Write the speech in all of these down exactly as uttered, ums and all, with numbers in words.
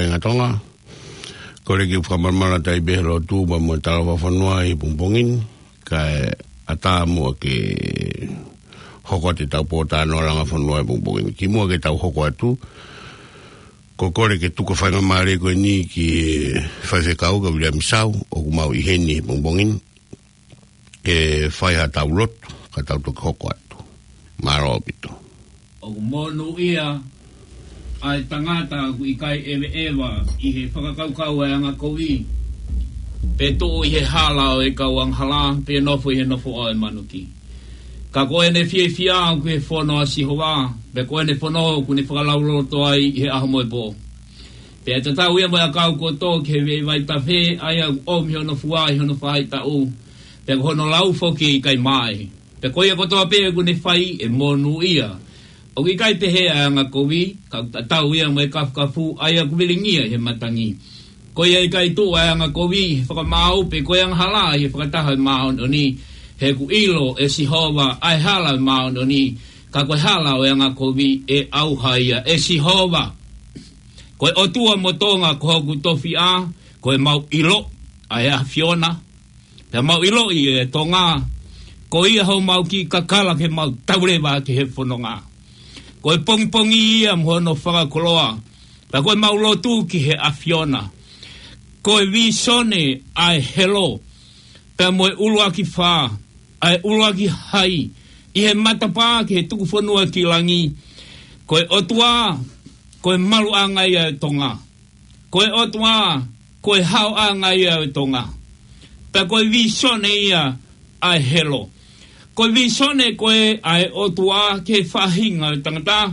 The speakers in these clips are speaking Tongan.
Kāinga Tonga, kole ke u fakamalumalu atu ai pē he lotu pea mo e talafakafonu ʻi he pongipongi ni, kae ʻatā muʻa ke hoko atu ʻetau pōtalanoa langa fonua he pongipongi ni. Kimuʻa ke tau hoko atu, ko e kole ke tuku e faingamālie ko eni ki he faifekau ko Viliami Sau, ʻoku mau ʻi heni he pongipongi ni, ke fai haʻatau lotu, ka tau toki hoko atu. Mālō ʻaupito. ʻOku monūʻia ʻa e tangata ʻoku ʻikai ʻeveʻeva ʻi he fakakaukau ʻa e angakovi, pe tuʻu ʻi he hala ʻo e kau angahala, pe nofo ʻi he nofo ʻo e manuki. Ka ko ʻene fiefia ʻoku ʻi he fono ʻa Sihova, pea ko ʻene fono ʻoku ne fakalaulauloto ai ʻi he ʻaho mo e pō. Pea tatau ia mo e ʻakau kotoa ki he veʻe vaitafe, ʻa ia ʻoku ʻomi hono fua ʻi hono faʻahi taʻu, pea ko hono lau foki ʻe ʻikai maʻe. Pea ko ia kotoa pē ʻoku ne fai ʻe monūʻia. ʻOku ʻikai pehē ʻa e angakovi, ka ʻoku tatau ia mo e kafukafu, ʻa ia ʻoku vilingia ʻi he matangi. Ko ia ʻikai tuʻu ʻa e angakovi ʻi he fakamaau, pe ko e angahala ʻi he fakataha ʻo e māʻoniʻoni. He ʻoku ʻilo ʻe Sihova ʻa e hala ʻo e māʻoniʻoni, ka ko e hala ʻo e angakovi ʻe ʻauha ia ʻe Sihova. Ko e ʻOtua mo Tonga ko hoku tofiʻa, ko e mau ʻilo ʻa e ʻAfiona. Pea mau ʻiloʻi ʻe Tonga, ko ia homau kiʻi kakala ke mau tau leva ki he fononga. Ko e pongipongi ia mo hono fakakoloa, pea ko e mau lotu ki he ʻAfiona. Ko e vīsone ʻa e helo, pea mo e ʻuluaki fā, ʻa e ʻuluaki hai, ʻi he matapā ki he tuku fonua ki langi. Ko e ʻOtua, ko e maluʻanga ia ʻo Tonga. Ko e ʻOtua, ko e haoʻanga ia ʻo Tonga. Pea ko e vīsone ia ʻa e helo. Ko e vīsone ko ē ʻa e ʻOtua ki he faʻahinga ʻo e tangata,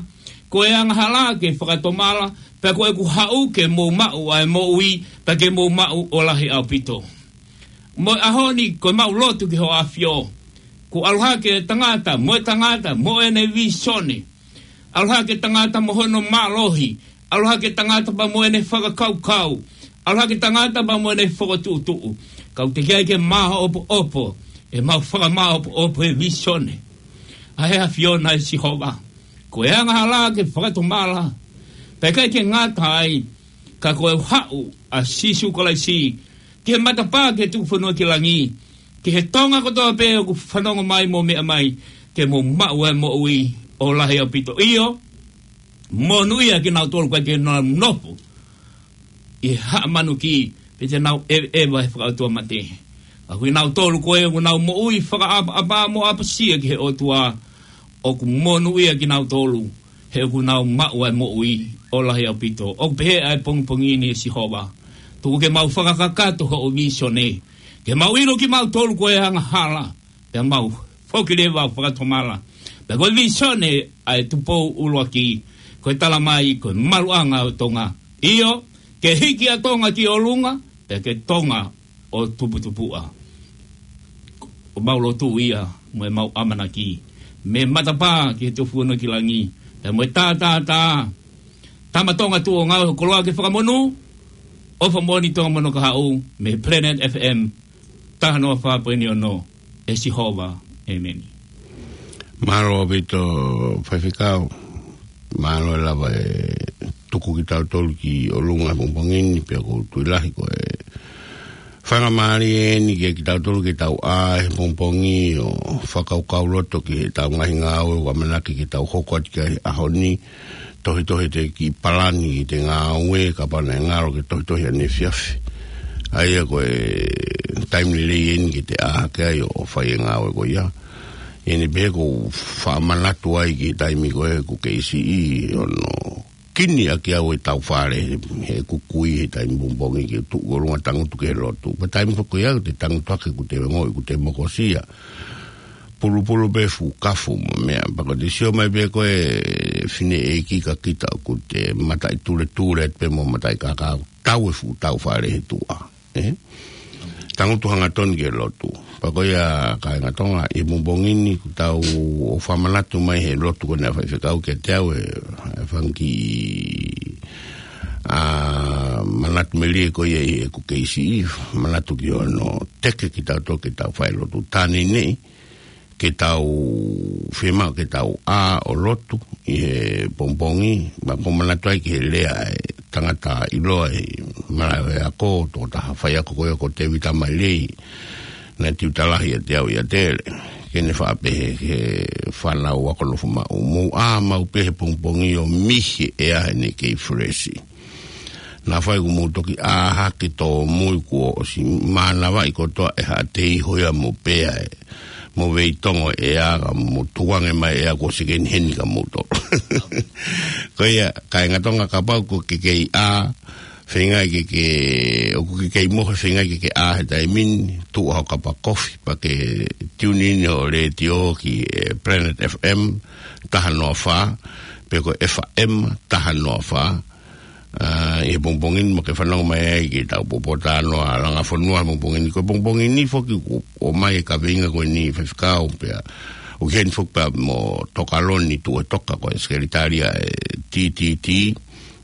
ko e angahala ke fakatomala, pea ko ʻeku haʻu ke mou maʻu ʻa e moʻui, pea ke mou maʻu ʻo lahi ʻaupito. Mo e ʻaho ni ko e mau lotu ki ho ʻAfio. Kuo ʻalu hake e tangata, mo e tangata, mo ʻene vīsone. ʻAlu hake e tangata mo hono mālohi. ʻAlu hake e tangata pea mo ʻene fakakaukau. ʻAlu hake e tangata pea mo ʻene fokotuʻutuʻu. Ka ʻoku teʻeki ai ke māʻopoʻopo ʻemau fakamāʻopoʻopo e vīsone ʻa e ʻAfiona ʻe Sihova. Ko e angahala ke fakatomala. Pea ʻikai ke ngata ai, ka ko e haʻu ʻa Sīsū Kalaisi ki he matapā ki he tuku fonua ki langi, ki he Tonga kotoa pē ʻoku fanongo mai mo meʻa mai, ke mou maʻu e moʻui ʻo lahi ʻaupito. ʻIo, monūʻia kinautolu ʻoku ʻikai ke nau nofo ʻi he haʻa manuki, pe te nau ʻeveʻeva he fakaʻotuamate. Ka ko kinautolu ko ē ʻoku nau moʻui fakaʻapaʻapa mo ʻapasia ki he ʻOtua, ʻoku monūʻia kinautolu, he ʻoku nau maʻu ʻa e moʻui ʻo lahi ʻaupito. ʻOku pehē ʻa e pongipongi ni ʻe Sihova, tuku ke mau fakakakato hoʻo vīsone, ke mau ʻilo kimautolu ko e angahala, pea mau foki leva ʻo fakatomala. Pea ko e vīsone ʻa e Tupou ʻUluaki, ko e tala mai ko e maluʻanga ʻo Tonga. ʻIo, ke hiki ʻa Tonga ki ʻolunga, pea ke Tonga ʻo tuputupuʻa. ʻOku mau lotu ia mo ʻemau ʻamanaki, mei he matapā ki he tuku fonua ki langi, pea mo e tātātā. Tama Tonga tuʻu ʻo ngāue ho koloa ke fakamonū, ʻofa moʻoni Tonga mo hono kahaʻu, mei he Planet F M, taha noa fā poini ono, ʻe Sihova, ʻēmeni. Mālō ʻaupito faifekau, mālō e lava e tuku kitautolu ki ʻolunga he pongipongi ni, pea ʻoku ou tui lahi ko e faingamālie eni kiate kitautolu ke tau ʻā he pongipongi ʻo fakakaukauloto ki heʻetau ngaahi ngāue ʻoku ʻamanaki ke tau hoko atu ki ai he ʻaho ni, tohitohi ʻete kiʻi palani ʻete ngāue, kapau naʻe ngalo ke tohitohi ʻaneefiafi. ʻA ia ko e taimi lelei eni ke te ʻā hake ai ʻo fai e ngāue ko ia. ʻI heʻene pehē ʻoku ou faʻa manatu ai ki he taimi ko ē ʻoku kei siʻi hono kini ʻaki au ʻetau fale, he ʻoku kui he taimi pongipongi ke tuʻu ʻolunga tangutu ki he lotu. Pea taimi foki ko ia ʻoku te tangutu hake ʻoku te ongoʻi ʻoku te mokosia. Pulupulu pē fuʻu kafu mo meʻa, pea ko ʻete sio mai pē ko e fineʻeiki ka kita ʻoku te mataʻituletule pē mo mataʻikakau, tau e fuʻu tau fale he tuʻa. ʻE? Tangutu hangatonu ki he lotu. Pea ko ia kāinga Tonga, ʻi he pongipongi ni ʻoku tau ʻofa manatu mai he lotu ko ena faifekau kiate au e, e fanga kiʻi, ʻa, manatu melie ko ia ʻi heʻeku kei siʻi, manatu ki hono teke kitautolu ke tau fai lotu. Tā neʻineʻi ke tau fiemaʻu ke tau ʻā ʻo lotu ʻi he pongipongi, pea ʻoku ou manatu ai ki he lea ʻa e tangata ʻiloa ʻi Malaʻe Ako, tokotaha faiako ko ia ko Tēvita Mailei, naʻe tiuta lahi ʻiate au ʻiate ia. Ke ne faʻa pehē ki he fānau ako nofo maʻu, mou ʻā maʻu pē he pongipongi ʻo mihi e ʻea he ʻene kei fresh. Naʻa faʻa ʻoku mou toki ʻā hake tōmui kuo ʻosi mānavaʻi kotoa ʻe haʻa tei hoia mo pea e mo vei tongo e ʻea ka mo tuange mai ʻea ko se keni heni ka mo to. Ko ia, kāinga Tonga kapau ko ke kei ʻā, feinga ke ke, ʻoku ke kei mohe feinga ke ke ʻā he taimi ni, tuʻu ho kapa kofi, pea ke tune in ho letiō ki he Planet F M, taha noa fā, pe ko F M, taha noa fā, ʻa, ʻi he pongipongi ni mo ke fanongo mai ai ki he tau pōpōtalanoa langa fonua he pongipongi ni. Ko e pongipongi ni foki ʻoku ʻomai e kaveinga ko eni faifekau pea. ʻOku ʻi heni foki pea mo Tokaloni Tuʻetoka ko e sekelitali ʻa e T T T.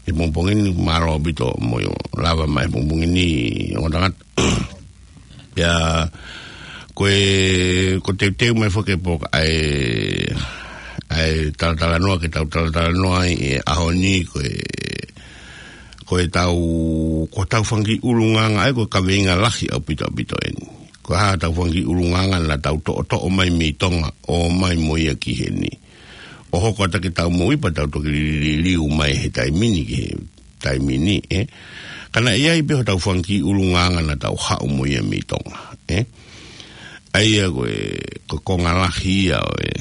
He pongipongi ni mālō ʻaupito mo lava mai he pongipongi ni ongo tangata. Pea, ko e, ko e teuteu mai foki e poka ʻa e, ʻa e talatalanoa ke tau talatalanoa ai he ʻaho ni ko e, ko e tau, ko e tau fanga kiʻi ʻulungaanga ʻa ia ko e kaveinga lahi ʻaupito ʻaupito eni. Ko e hā tau fanga kiʻi ʻulungaanga naʻa tau toʻotoʻo mai mei Tonga, ʻomai mo ia ki heni. ʻO hoko atu ki he tau moʻui pea tau toki liliu mai he taimi ni ki he taimi ni, ē. Ka naʻe ʻi ai pē hotau fanga kiʻi ʻulungaanga naʻa tau haʻu mo ia mei Tonga, ē. ʻA ia ko e, ko e konga lahi ia ʻo e,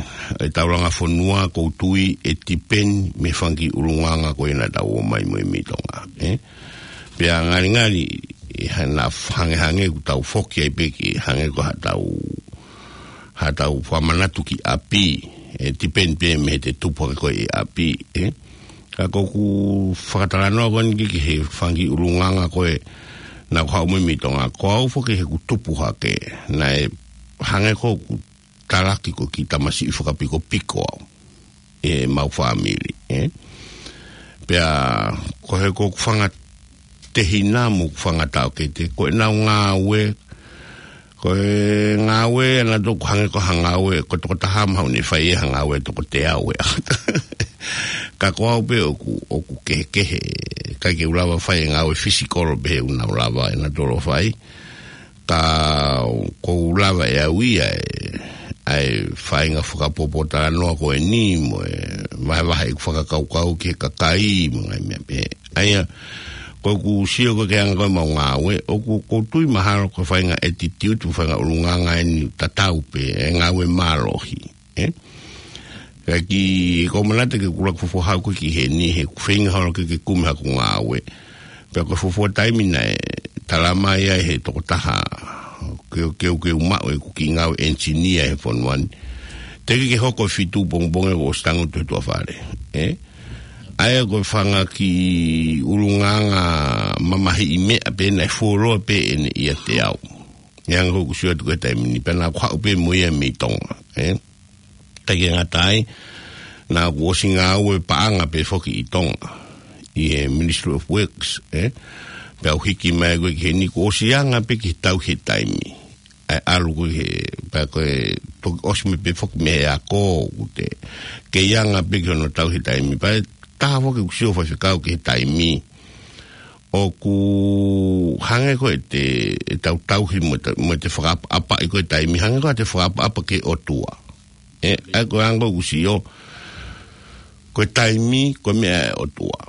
ʻo e tau langa fonua ʻoku ou tui ʻe tipeni mei he fanga kiʻi ʻulungaanga ko ia naʻa tau ō mai mo ia mei Tonga, ē. Pea ngalingali, ʻi he naʻa hangehangē ʻoku tau foki ai pē ki he hangē ko haʻatau, haʻatau fakamanatu ki ʻapi, ʻe tipeni pē mei he tupu hake ko ē ʻi ʻapi, ē. Ka ko ʻeku fakatalanoa ko eni ki he fanga kiʻi ʻulungaanga ko ē naʻa ku haʻu mo ia mei Tonga. Ko au foki he ʻeku tupu hake, naʻe hangē ko ʻeku talaki ko e kiʻi tamasiʻi fakapikopiko au ʻi heʻemau fāmili, ē. Pea ko e hā ko ʻeku fanga tehina mo ʻeku fanga taʻokete, ko ʻenau ngāue, ko e ngāue ʻanautolu ʻoku hangē ko ha ngāue, ko e tokotaha mahalo ʻoku ne fai ha ngāue ʻe toko teau ʻe. Ka ko au pē ʻoku, ʻoku kehekehe, ʻikai ke u lava fai e ngāue fisikolo pehē ʻoku nau lava ʻe nautolu ʻo fai. Ka ʻoku ou lava ʻe au ia ʻa e, ʻa e faʻahinga fakapōpōtalanoa ko eni mo e vahevahe ʻeku fakakaukau ki he kakai mo e ngaahi meʻa pehē. ʻA ia, ko ʻeku sio ko ē ki he anga ko ē ʻemau ngāue, ʻoku, ʻoku ou tui mahalo ko e faʻahinga attitude, ko e faʻahinga ʻulungaanga eni tatau pē, ʻa e ngāue mālohi, ē? Ka ʻoku ou manatu ke u kula ʻeku fuofua haʻu ko ē ki heni, he ʻoku ou feinga holo ke, ke kumi haʻaku ngāue. Pea ko e fuofua taimi naʻe tala mai ai he tokotaha, ke, ke, ke u maʻu ʻeku kiʻi ngāue ʻenisinia he fonua ni. Teʻeki ke hoko e fitu pongipongi kuo ʻosi tangutu he tuʻa fale, ē? ʻA ia ko e fanga kiʻi ʻulungaanga mamahiʻi meʻa pē naʻe fuoloa pē ʻene ʻiate au. ʻI he anga ʻoku ou sio atu ki he taimi ni, pea naʻa ku haʻu pē mo ia mei Tonga, ē? ʻIkai ke ngata ai, naʻa ku ʻosi ngāue paʻanga pē foki ʻi Tonga, ʻi he Ministry of Works, ē? Pea u hiki mai ko ē ki heni kuo ʻosi anga pē ki he tauhi e taimi. ʻA e ʻalu ko ē he, pea ko e toki ʻosi mai pē foki mei he ako, ʻoku te kei anga pē ki hono tauhi e taimi. Pea ʻe taha foki ʻeku sio faifekau ki he taimi. ʻOku hangē ko ʻete, ʻetau tauhi mo ʻete, mo ʻete fakaʻapaʻapaʻi ko ē taimi, hangē ko ʻete fakaʻapaʻapa ki he ʻOtua. Ē, ʻa ia ko e anga ʻoku ou sio, ko e taimi, ko e meʻa ʻa e ʻOtua.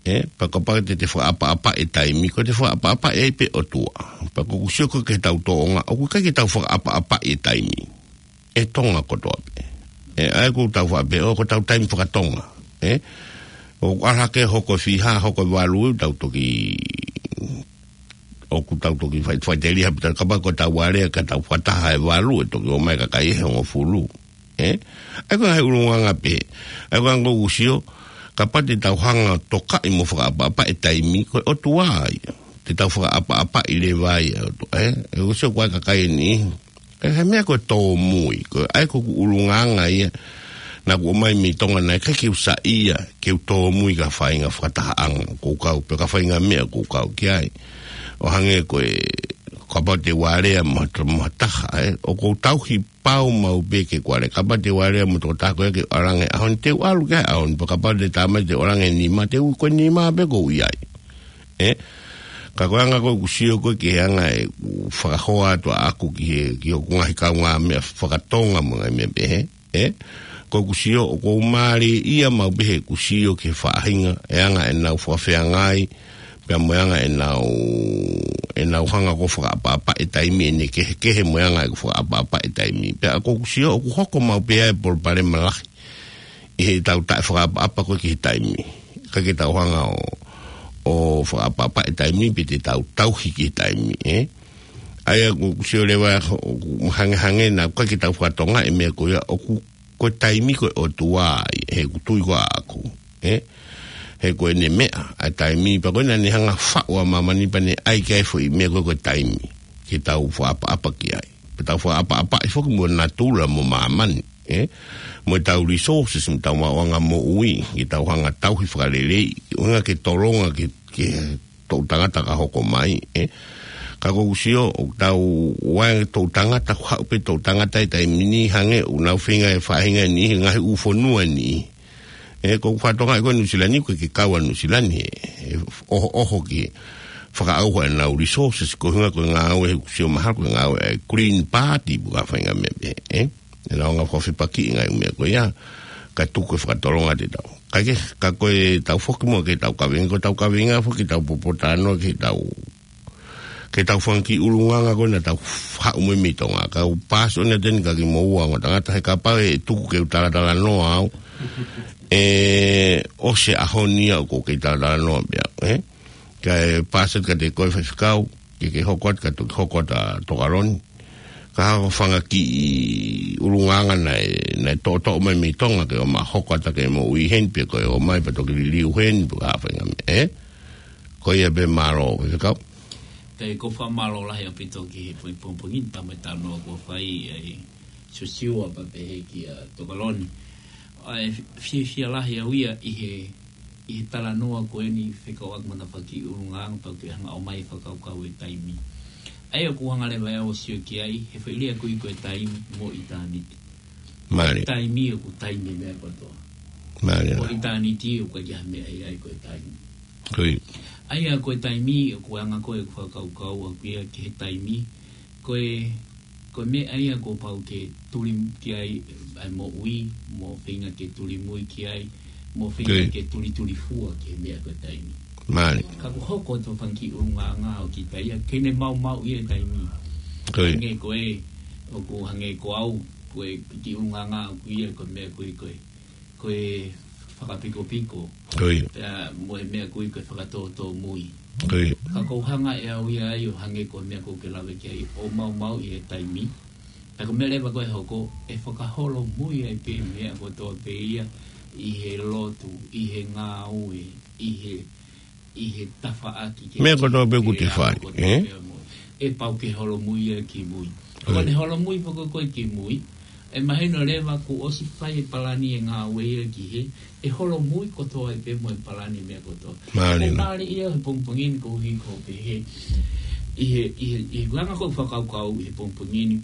Ē, pea kapau te te fakaʻapaʻapaʻi e taimi, ko ʻete fakaʻapaʻapaʻi ai pē ʻOtua. Pea ʻoku ou sio ko ē ki heʻetau tōʻonga, ʻoku ʻikai ke tau fakaʻapaʻapaʻi e taimi. ʻE Tonga kotoa pē. Ē, ʻa ia ʻoku tau faʻa pehē, ʻo ko ʻetau taimi fakatonga. Ē, ʻoku ʻalu hake hoko e fiha, hoko e valu, tau toki, ʻoku tau toki fai, fai teli ha pita kapau ko ʻetau alea ka tau fakataha e valu, ʻe toki ō mai e kakai ʻe hongofulu. Ē? ʻA ia ko e ngaahi ʻulungaanga pē. ʻA ia ko e anga ʻoku ou sio, kapau te tau hanga ʻo tokaʻi mo fakaʻapaʻapaʻi e taimi, ko e ʻOtua ia. Te tau fakaʻapaʻapaʻi leva ia ʻe he ʻOtua, ē? ʻOku ou sio ko e kakai eni. Ko e meʻa ko e tōmui, ko e ʻa ia ko ʻeku ʻulungaanga ia. Naʻa ku ō mai mei Tonga naʻe ʻikai ke u saiʻia, ke u tōmui ki ha faʻahinga fakatahaʻanga ʻoku ou kau, pe ki ha faʻahinga meʻa ʻoku ou kau ki ai. ʻO hangē ko e, kapau te u alea mo ha, mo ha taha, ē? ʻOku ou tauhi pau maʻu pē ke u alea. Kapau te u alea mo e tokotaha ko ē ke u ʻalu ange he ʻaho ni, te u ʻalu ki ai he ʻaho ni, pea kapau te tā mai te u ʻalu ange he nima, te u ʻi he nima pē ʻoku ou ʻi ai. ē? Ka ko e anga ko ē ʻoku sio ko ē ki he anga ʻeku fakahoa atu ʻaʻaku ki he, ki hoku ngaahi kaungāmeʻa fakatonga mo e ngaahi meʻa pehē, ē? Ko ʻeku sio ʻoku ou mālieʻia maʻu pē heʻeku sio ki he faʻahinga, e anga ʻenau fakafeangai, pea mo e anga ʻenau, ʻenau hanga ko ē ʻo fakaʻapaʻapa e taimi ʻene kehekehe mo e anga ʻeku fakaʻapaʻapa e taimi. Pea ko ʻeku sio ʻoku hoko maʻu pē ʻa e palopalema lahi ʻi heʻetau taʻefakaʻapaʻapa ko ē ki he taimi. ʻIkai ke tau hanga ʻo, ʻo fakaʻapaʻapa e taimi pe te tau tauhi ki he taimi, ē? ʻA ia ko ʻeku sio leva ʻoku hangehangē naʻa ʻikai ke tau fakatonga e meʻa ko ia ʻoku, ko e taimi ko e ʻOtua ia, he ʻoku tui ko ē ʻaʻaku, ē? He ko ʻene meʻa ʻa e taimi, pea ko ʻene hanga ʻo faʻu ʻa māmani pea ne ʻai ki ai e foʻi meʻa ko ē ko e taimi ke tau fakaʻapaʻapa ki ai. Pea tau fakaʻapaʻapaʻi foki mo natula mo māmani, ē? Mo ʻetau resources, mo ʻetau maʻuʻanga moʻui, ke tau hanga ʻo tauhi fakaleleiʻi, ʻuhinga ke tolonga ki he, ki he toʻu tangata ka hoko mai, ē? Ka ko ʻeku sio, ʻoku tau ʻai e toʻu tangata, ʻoku haʻu pē toʻu tangata he taimi ni hangē ʻoku nau feinga e faʻahinga ni, he ngaahi ʻū fonua ni. Ē, ko ʻeku fakatonga ʻi ko ē Nuʻusila ni, ʻoku ʻikai ke kau ʻa Nuʻusila ni, ē, ʻohoʻoho ki he fakaʻauha ʻenau resources, ko e ʻuhinga ko e ngāue, he ʻoku sio mahalo ko e ngāue ʻa e Green Party, ʻoku ʻi ai e faʻahinga meʻa pehē, ē? ʻEnau hanga ʻo fakafepakiʻi e ngaahi meʻa ko ia, kae tuku e fakatolonga ʻiate kitautolu. Kae kehe, ka ko ʻetau foki muʻa ki heʻetau kaveinga, ko ʻetau kaveinga foki ke tau popotalanoa ki heʻetau, ki heʻetau fanga kiʻi ʻulungaanga ko ē naʻa tau haʻu mo ia mei Tonga. Kau paasi ʻo ne teni ka kimoua ongo tangata, he kapau ʻe tuku ke u talatalanoa au, ʻe ʻosi e ʻaho ni ʻoku ou kei talatalanoa pē au, ē? Kae paasi atu kiate koe Faifekau, ke ke hoko atu ka toki hoko atu ʻa Tokaloni. Ka ko e fanga kiʻi ʻulungaanga naʻe, naʻe toʻotoʻo mai mei Tonga ke ʻomai ʻo hoko atu ki he moʻui heni, pe ko e ō mai pea toki liliu heni, pe ko e hā e faʻahinga meʻa, ē? Ko ia pē, mālō, Faifekau. Pea ʻoku ou fakamālō lahi ʻaupito ki he pongipongi ni, pea mo e talanoa kuo fai ʻe Siosiua pea pehē kia Tokaloni. ʻA e fi-, fiefia lahi au ia ʻi he, ʻi he talanoa ko eni fekauʻaki mo ʻena fanga kiʻi ʻulungaanga pea ke hanga ʻo ʻomai e fakakaukau e taimi. ʻA ia ʻoku hanga leva ʻe au ʻo sio ki ai, he foʻi lea ko ē ko e taimi mo ʻitāniti. Mālie. Taimi ʻoku taimi e meʻa kotoa. Mālie. Ko ʻitāniti ʻoku ʻikai ha meʻa ia ai ko e taimi. Ko ia. ʻA ia ko e taimi ʻoku anga ko ē ʻeku fakakaukau ʻaʻaku ia ki he taimi, ko e, ko e meʻa ia kuo pau ke tuli ki ai ʻa e moʻui, mo feinga ke tulimui ki ai, mo feinga Ko ia. ke tulitulifua ki he meʻa ko e taimi. Mālie. Ka kuo hoko atu e fanga kiʻi ʻulungaanga ʻo kita ia, ke ne maumauʻi e taimi. Ko ia. Hangē ko ē, ʻoku hangē ko au, ko e kiʻi ʻulungaanga ʻaʻaku ia, ko e meʻa ko ē, ko e, ko e fakapikopiko. Ko ia. Pea mo e meʻa ko ē ko e fakatōtōmui. Ko ia. Ka ʻoku ou hanga ʻe au ia ai ʻo hangē ko e meʻa ʻoku ke lave ki ai ʻo maumauʻi e taimi. Pea ko e meʻa leva ko ē ʻe hoko, ʻe fakaholomui ai pē meʻa kotoa pē ia ʻi he lotu, ʻi he ngāue, ʻi he ʻi he tafaʻaki ke Meʻa kotoa pē ʻoku ke te fai, ako kotoa ē? pē mo. ʻE pau ke holomui ia ki mui. Ko Oi. ʻene holomui foki ko ē ki mui, ʻe mahino leva kuo ʻosi fai e palani e ngāue ia ki hē, ʻe holomui kotoa ai pē mo e palani meʻa kotoa. Mālie. Ko e mālie ia he pongipongi ni ko e hiko pē he, ʻi he, ʻi he, ʻi he anga ko ē fakakaukau ʻi he pongipongi ni,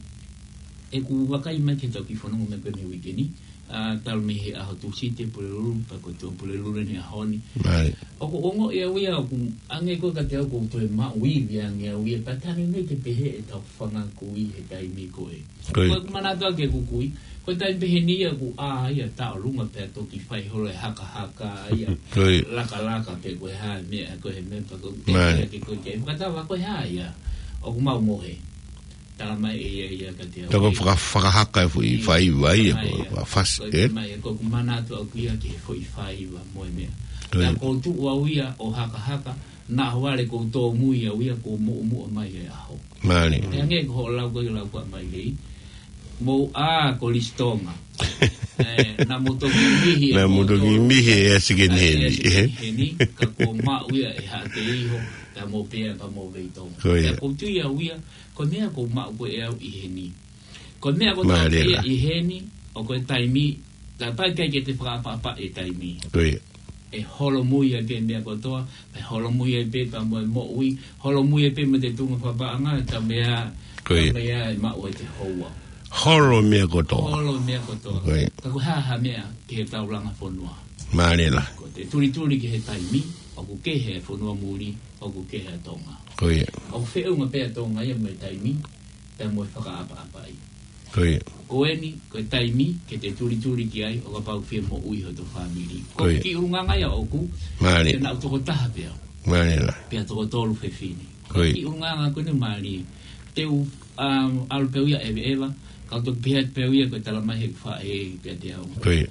ʻeku vakai mai ki heʻetau kiʻi fononga meʻa ko eni he uike ni, ʻa, talu mei he ʻaho Tūsite, Pulelulu, pea ko e Tuʻapulelulu ʻeni he ʻaho ni. Right. ʻOku ou ongoʻi au ia, ʻoku hangē ko ē kiate au ʻoku ou toe maʻu ivi ange au ia, pea taimi ni ke pehē ʻetau fanga kui he taimi ko ē. Ko ia. Ko ʻeku manatu ʻaki ʻeku kui, ko e taimi pehē ni ia ʻoku ʻā ia taʻolunga pea toki fai holo e hakahaka ia, Ko ia. lakalaka pe ko e hā e meʻa, ko e meʻa pea ko e Right. ke ko e ke fakatava ko e hā ia, ʻoku mau mohe. Tala mai ʻe ia ia kiate au. Ka ko e faka-, fakahaka e foʻi Ī, faiva ia, fai ko e ia. fasi, Ko e ē? mai, ko ʻeku manatu ʻaʻaku ia ki he foʻi faiva mo e meʻa. Ko ia. Pea ʻoku ou tuʻu au ia ʻo hakahaka, naʻa ʻohovale ʻoku ou tōmui au ia ʻoku ou muʻomuʻa mai he ʻaho. Mālie. Pea hangē ko hoʻo lau ko ē lau ko ē mai lei. Mou ʻā ko Lisitonga. Ē, naʻa mou toki mihi ʻe Naʻa mou toki mou mihi ʻe Asikeni ʻa e Heni. Asikeni Heni, ka kuo maʻu ia ʻe Haʻate Iho, pea mou pea pea mou vei Tonga. Ko ia. Pea ʻoku ou tui au ia, ko e meʻa ʻoku ou maʻu ko ē ʻe au ʻi heni. Ko e meʻa ʻoku ou Mālie tau la. ʻi heni, ʻo ko e taimi, ka ʻikai ke te fakaʻapaʻapa e taimi. Ko ia. ʻE holomui ai pē meʻa kotoa, ʻe holomui ai pē pea mo e moʻui, holomui ai pē mo e tuʻunga fakapaʻanga, ka meʻa, Ko ia. ka meʻa ʻe maʻu ai te houa. Holo meʻa kotoa. Holo meʻa kotoa. Ko ia. Ka ko e hā ha meʻa ki he taulanga fonua. Mālie la. Ko e tulituli ki he taimi, ʻoku kehe e fonua muli, ʻoku kehe ʻa Tonga. Ko ia. ʻOku feʻunga pē ʻa Tonga ia mo e taimi, pea mo e fakaʻapaʻapaʻi. Ko ia. Ko eni, ko e taimi, ke te tulituli ki ai, ʻo kapau fie moʻui hoto fāmili. Ko Ko ia. Ki ʻulungaanga ia ʻoku, Mālie. Te nau tokotaha pea. Mālie la. Pea tokotolu fefine. Ko ia. Ki ʻulungaanga ko eni mālie. Te u, um, ʻalu pē au ia ʻeveʻeva, ka u toki pehē atu pē au ia ko e tala mai he faʻē pea te au. Ko ia.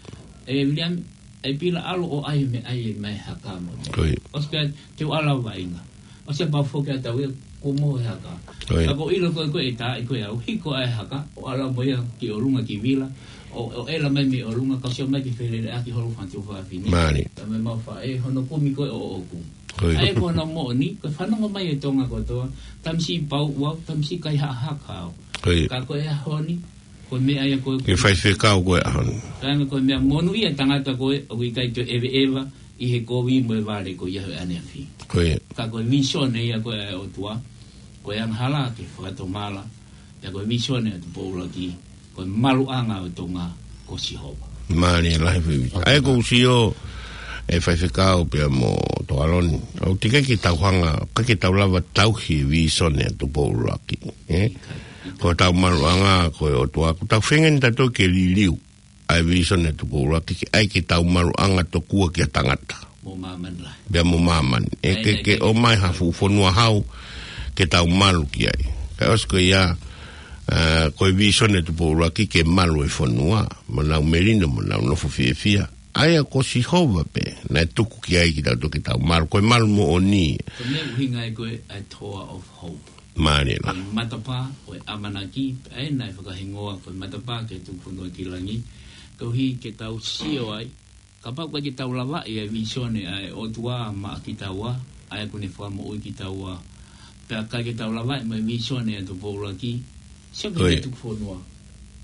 E Viliami, e pila ʻalu ʻo ʻai meʻa ʻai mai haka mo. Ko ia. ʻOsi pea te u ʻalu au vaʻinga. ʻOsi pea foki atu au ia kuo mohe haka. Ko ia. Ka ko e ʻilo ko ē ko e tā ʻi ko e au, hiko ʻa e haka, ʻo ʻalu mo ia ki ʻolunga ki vila, ʻo, ʻo ʻela mai mei ʻolunga, ka sio mai ki felele ʻaki holo fatu fafine. Mālie. Ka mei mau faʻē, hono kumi ko ē ʻo ʻoku. Ko ia. ʻA ia ko hono moʻoni, ko e fanongo mai e Tonga kotoa, tamasiʻi pau ua, tamasiʻi kaihaʻa haka au. Ko ia. Ka ko e ʻaho ni, ko e meʻa ia ko ē Ke faifekau ko e ʻaho ni. Ka ko e meʻa monūʻia tangata ko ē, ʻoku ʻikai toe ʻeveʻeva, ʻi he kovi mo e vale ko ia he ʻaneafi. Ko ia. Ka ko e visone ia ko ē ʻa e ʻOtua, ko e angahala ke fakatomala, pea ko e visone ʻa Tupoulaki, ko e maluʻanga ʻo Tonga, ko Sihova. Mālie lahi fai. ʻA ia ko u sio, e faifekau pea mo Tokaloni. ʻOku teʻeki ke tau hanga, ʻikai ke tau lava tauhi e visone ʻa Tupoulaki. Eh? Ko tau maluʻanga, ko e ʻOtua, ko tau feinga ni tatou ke liliu. ʻA e visone ʻa Tupoulaki ke ʻai ke tau maluʻanga tokua ki ha tangata. Mo māmani lahi. Pea mo māmani. E Ai, ke, ai, ke ai. ʻOmai ha fuʻu fonua hau ke tau malu ki ai. Ka ʻosi ko ia, ā, ko e visone ʻa Tupoulaki ke malu e fonua. Mo nau melino, mo nau nofo fiefia. ʻA ia ko Sihova pē, naʻe tuku ki ai kitautolu ke tau malu. Ko e malu moʻoni. Ko e meʻa ʻuhinga ai ko e, a toa of hope. Mālie la. Ko e matapā, ko e ʻamanaki, pea ʻe naʻe fakahingoa, ko e matapā ke tuku fonua ki langi. Koeʻuhi ke tau sio ai, kapau ʻikai ke tau lavaʻi e visone ʻa e ʻOtua maʻa kitaua, ʻa ia ʻoku ne fakamoʻui kitaua. Pea ʻikai ke tau lavaʻi mai visone ʻa Tupoulaki, sio ki Ko ia. he tuku fonua.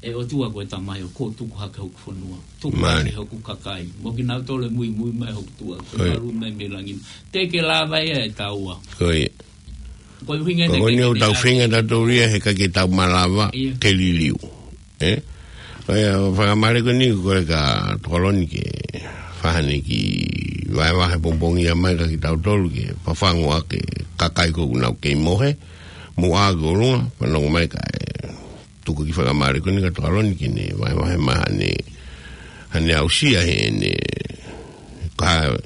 E ʻOtua ko e tamai ʻoku tuku hake hoku fonua. Tuku Mālie. hake hoku kakai. Mo kinautolu ʻe muimui mai hoku tuʻa. Ko ia. Malu mai mei langi. Teʻeki ke lava ia ʻe taua. Ko ia. Ko e ʻuhinga Ko ena ko ke eni ʻoku tau feinga tatou ia he ʻikai ke tau malava Ia. ke liliu. Eh? Ko ia, fakamālie ko eni ko e ka Tokaloni ke fai haʻane kiʻi vahevahe pongipongi ia mai kia kitautolu ke fafangu ʻa e kakai ko ē ʻoku nau kei mohe, muʻa ki ʻolunga, fanongo mai kae tuku e kiʻi fakamālie ko eni kia Tokaloni ke ne vahevahe mai haʻane, haʻane aʻusia heʻene, ka,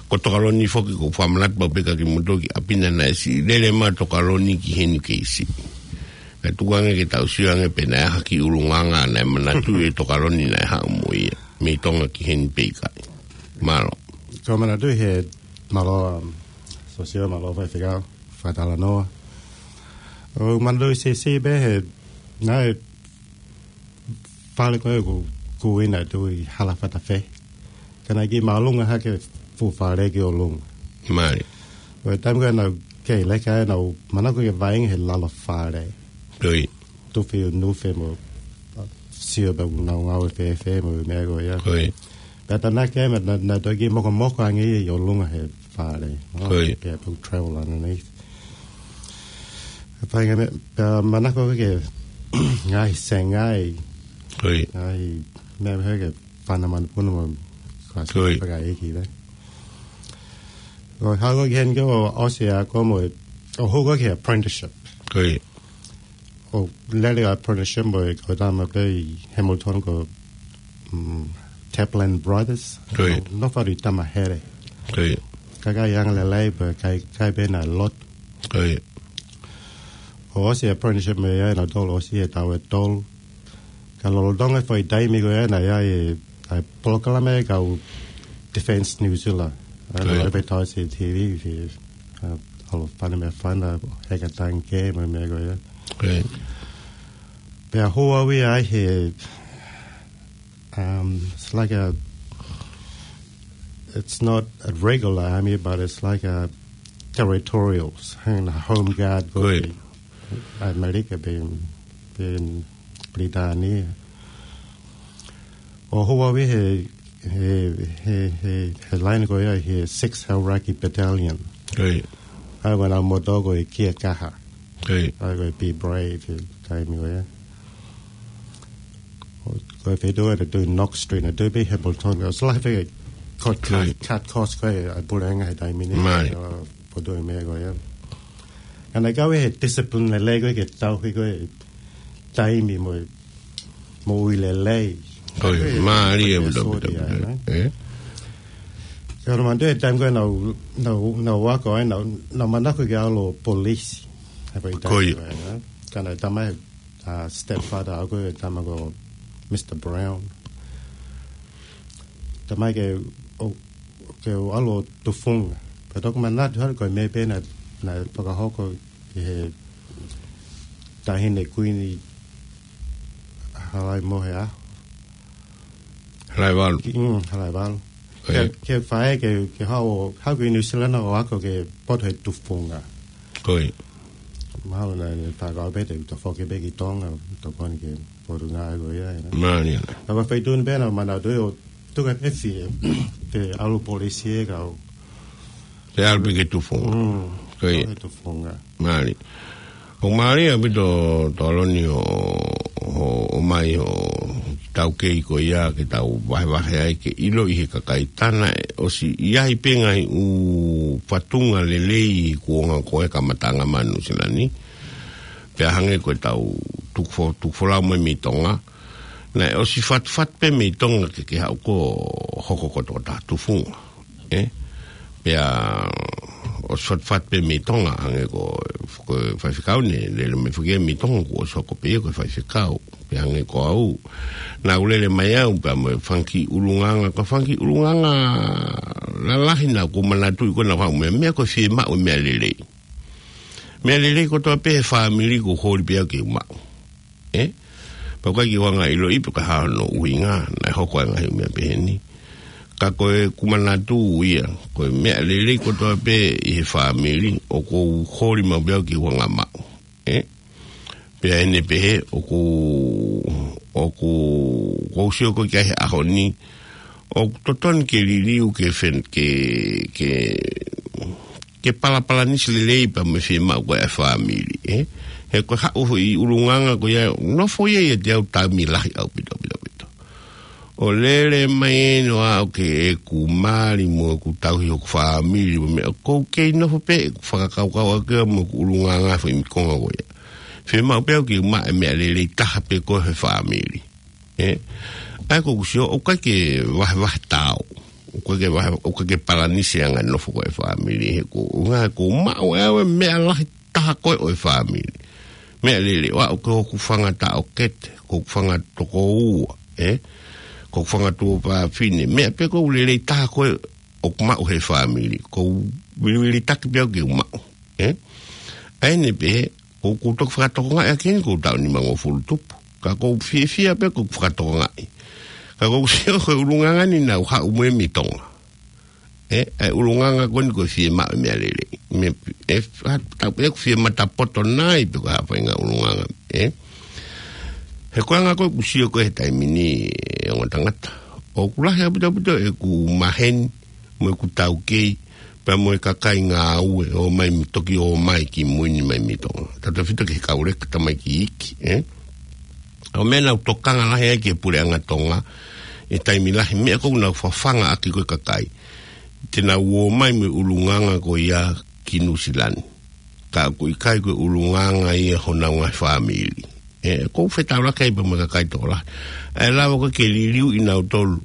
ko Tokaloni foki ʻoku ou fakamanatu pau pē kia kimoutolu ki ʻapi na naʻe siʻi lele mai Tokaloni ki heni kei siʻi. Naʻe tuku ange ke tau sio ange pe naʻe ʻaha ki ʻulungaanga naʻe manatu ʻe Tokaloni naʻe haʻu mo ia. Mei Tonga ki heni pe ʻikai. Mālō. Ko e manatu he mālō, um, sosio mālō faifekau, fakatalanoa. ʻOku ou manatu ʻi he siʻi pē he, naʻe fale ko ē ʻoku, ʻoku ina atu ʻi Halafatafehi. Ka naʻe kiʻi māʻolunga hake fuʻu fale ki ʻolunga. Mālie. Ko e taimi ko ē naʻa ku kei leka ai naʻa ku manako ke vaʻinga he lalo fale. Ko ia. Tufi ʻo nufe mo, sio pē ʻoku nau ngāue fēfē mo e meʻa ko ia. Ko ia. Pea tā naʻa ke, naʻa, naʻa, naʻa toki mokomoko ange ia ʻi ʻolunga he fale. Ko ia. Pea pau travel underneath. Ka fai ngaahi meʻa, pea manako ke ngaahi sengai. Ko ia. Ngaahi meʻa he ke fana manupuna mo kasi Ko ia. paka iki, right? ʻO haʻu ki heni ko ʻosi ʻa ko mo, ʻo hoko ki he apprenticeship. Ko ia. ʻO lele ʻa apprenticeship mo e ko tama pē ʻi Hamilton ko, mm, Taplin Brothers. Ko ia. No, no fari tama here. Ko ia. Kakai angalelei pē kai, kai pē naʻe lotu. Ko ia. ʻO ʻosi apprenticeship mei ai naʻa tolu ʻosi e tau e tolu. Ka lolotonga e foʻi taimi ko ia naʻe ʻi ai e, ʻa e polokalama ʻa e kau Defence New Zealand. ʻA e Ko ia. advertise ʻi he T V, ʻi he, ʻa, ʻalu fana meʻa fana, heka tangi kē, mo e meʻa ko ia. Ko ia. Pea hū au ia ai he, um, it's like a, it's not a regular army, but it's like a territorials, hanging a home guard ko Ko ia. ē. ʻAmelika pē, pē Pilitānia. ʻO hū au ia he, he, he, he, he line ko ia he Six Hauraki Battalion. Ko ia. ʻA ia ko ʻenau motto ko e kia kaha. Ko ia. ʻA ia ko e be brave he taimi ko ia. ʻO, ko e feituʻu ʻe tui Knox Street, naʻe tui pē Hamilton, ʻosi lahi fē cut, cut, cut cost ko ē ʻa e puleʻanga he taimi ni. Mālie. ʻO, poto e meʻa ko ia. Ka naʻe kau he discipline lelei ko ē ke tauhi ko ē taimi mo, mo ui lelei. Ko ia, mālie, ʻaupito, ʻaupito, ʻaupito. Ē? Ka ʻoku ou manatuʻi he taimi ko ē naʻa ku, naʻa ku, naʻa ku ako ai, naʻa ku, naʻa ku manako ke ʻalu ʻo polisi. He ko e taimi ko ia. Ko ē, ē? Ka naʻe talamai, uh, stepfather ʻaʻaku, ko e tama ko Mister Brown. Talamai ke, ʻo, ke u ʻalu ʻo tufunga. Pea toki manatu hake ko e meʻa pē naʻe, naʻe fakahoko ʻi he taʻahine kuini Halaimoheʻaho. Halaevalu. Ki, mm, Halaevalu. Ko ia. Ke, ke fai, ke, ke haʻu, haʻu ki Nuʻu Sila ʻo ako ke poto he tufunga. Ko ia. Mahalo naʻe, naʻe fakakaukau pē te u toe foki pē ki Tonga, tokoni ke poto ngā ko ia, ē. Mālie. Ka ko e feituʻu ni pē naʻa ku manatuʻi ʻo tuku e efi, te ʻalu polisi ē kau. Te ʻalu pē ke tufunga. Mm. Ko ia. Ke tufunga. Mālie. ʻOku mālie ʻaupito Toloni ʻo, ʻo, ʻomai ʻo taukei ko ia ke tau vahevahe ai ke ʻiloʻi he kakai, tā naʻe ʻosi ʻi ai pē ngaahi ʻū fatunga lelei kuonga ko ē kamataʻanga mai Nuʻu Sila ni. Pea hangē ko ʻetau tuku fo-, tuku folau mai mei Tonga. Naʻe ʻosi fatufatu pē mei Tonga ke, ke haʻu ʻo hoko ko e tokotaha tufunga. Ē? Pea ʻosi fatufatu pē mei Tonga, hangē ko, ko e faifekau naʻe lele mai foki ia mei Tonga, kuo ʻosi hoko pē ia ko e faifekau. Pea hangē ko au, naʻa ku lele mai au, pea mo e fanga kiʻi ʻulungaanga, ko e fanga kiʻi ʻulungaanga lalahi naʻa ku manatuʻi ko ē naʻa ku haʻu mo e meʻa ko e fiemaʻu e meʻa lelei. Meʻa lelei kotoa pē he fāmili ʻoku holi pē au ke u maʻu. Ē? Pea ʻoku ʻikai ke u hanga ʻo ʻiloʻi pe ko e hā hono ʻuhinga, naʻe hoko ai e ngaahi meʻa pehē ni. Ka ko ʻeku manatu ia, ko e meʻa lelei kotoa pē ʻi he fāmili, ʻoku ou holi maʻu pē au ke u hanga ʻo maʻu. Ē? Pea ʻi heʻene pehē, ʻoku, ʻoku, ʻoku ou sio ko ē ki he ʻaho ni, ʻoku totonu ke liliu ke fen-, ke, ke, ke palapalanisi lelei pea mo e fiemaʻu ko ē ʻa e fāmili, ē? He ko e haʻu foʻi ʻulungaanga ko ia, nofo ia ʻiate au taimi lahi ʻaupito, ʻaupito, ʻaupito. ʻO lele mai eni ʻo aʻu ki heʻeku mali mo ʻeku tauhi hoku fāmili mo e meʻa, ʻoku ou kei nofo pē ʻeku fakakaukau ʻaki ia mo ʻeku ʻulungaanga foʻi konga ko ia. Fiemaʻu pē au ke u maʻu e meʻa lelei taha pē ko ē he fāmili. Ē? ʻA ia ʻoku ou sio, ʻoku ʻikai ke vahevahe taau. ʻOku ʻikai ke vahe, ʻoku ʻikai ke palanisi ange e nofo ko ē he fāmili. He ko, ʻuhinga ʻoku ou maʻu ʻe au e meʻa lahi taha ko ē ʻo e fāmili. Meʻa lelei, ʻo aʻu ki hoku fanga taʻokete, ko hoku fanga tokoua, ē? Ko hoku fanga tuofāfine. Meʻa pē ko ē ʻoku lelei taha ko ē ʻoku maʻu he fāmili. ʻOku ou vilivilitaki pē au ke u maʻu, ē? ʻA ia ʻi heʻene pehē, ʻoku ou toki fakatokangaʻi ʻaki eni ʻoku ou taʻu nimangofulu tupu. Ka ʻoku ou fiefia pē ʻoku ou fakatokangaʻi. Ka ʻoku ou sio ko e ʻulungaanga ni naʻa ku haʻu mo ia mei Tonga. Ē, ʻa e ʻulungaanga ko eni ko e fiemaʻu e meʻa lelei. Meʻa, ē, ha-, tau pē ʻoku fiematapoto nai pe ko e hā e faʻahinga ʻulungaanga, ē. He ko e anga ko ē ʻoku ou sio ko ē he taimi ni, ē, ongo tangata. ʻOku lahi ʻaupito ʻaupito ʻeku maheni, mo ʻeku taukei, pea mo e kakai ngāue, ʻomai, toki ʻomai kimui ni mai mei Tonga. Tautefito ki he kau leka, tamaiki iiki, ē. ʻA e meʻa naʻa ku tokanga lahi ai ki he puleʻanga Tonga, ʻi he taimi lahi, meʻa ʻoku nau fafanga ʻaki ko ē kakai. Te nau ō mai mo e ʻulungaanga ko ia ki Nuʻu Sila ni. Ka ʻoku ʻikai ko e ʻulungaanga ia honau ngaahi fāmili. Ē, ʻoku ou fetaulaki ai pē mo e kakai tokolahi. ʻA e lava ko ē ke liliu ʻi nautolu.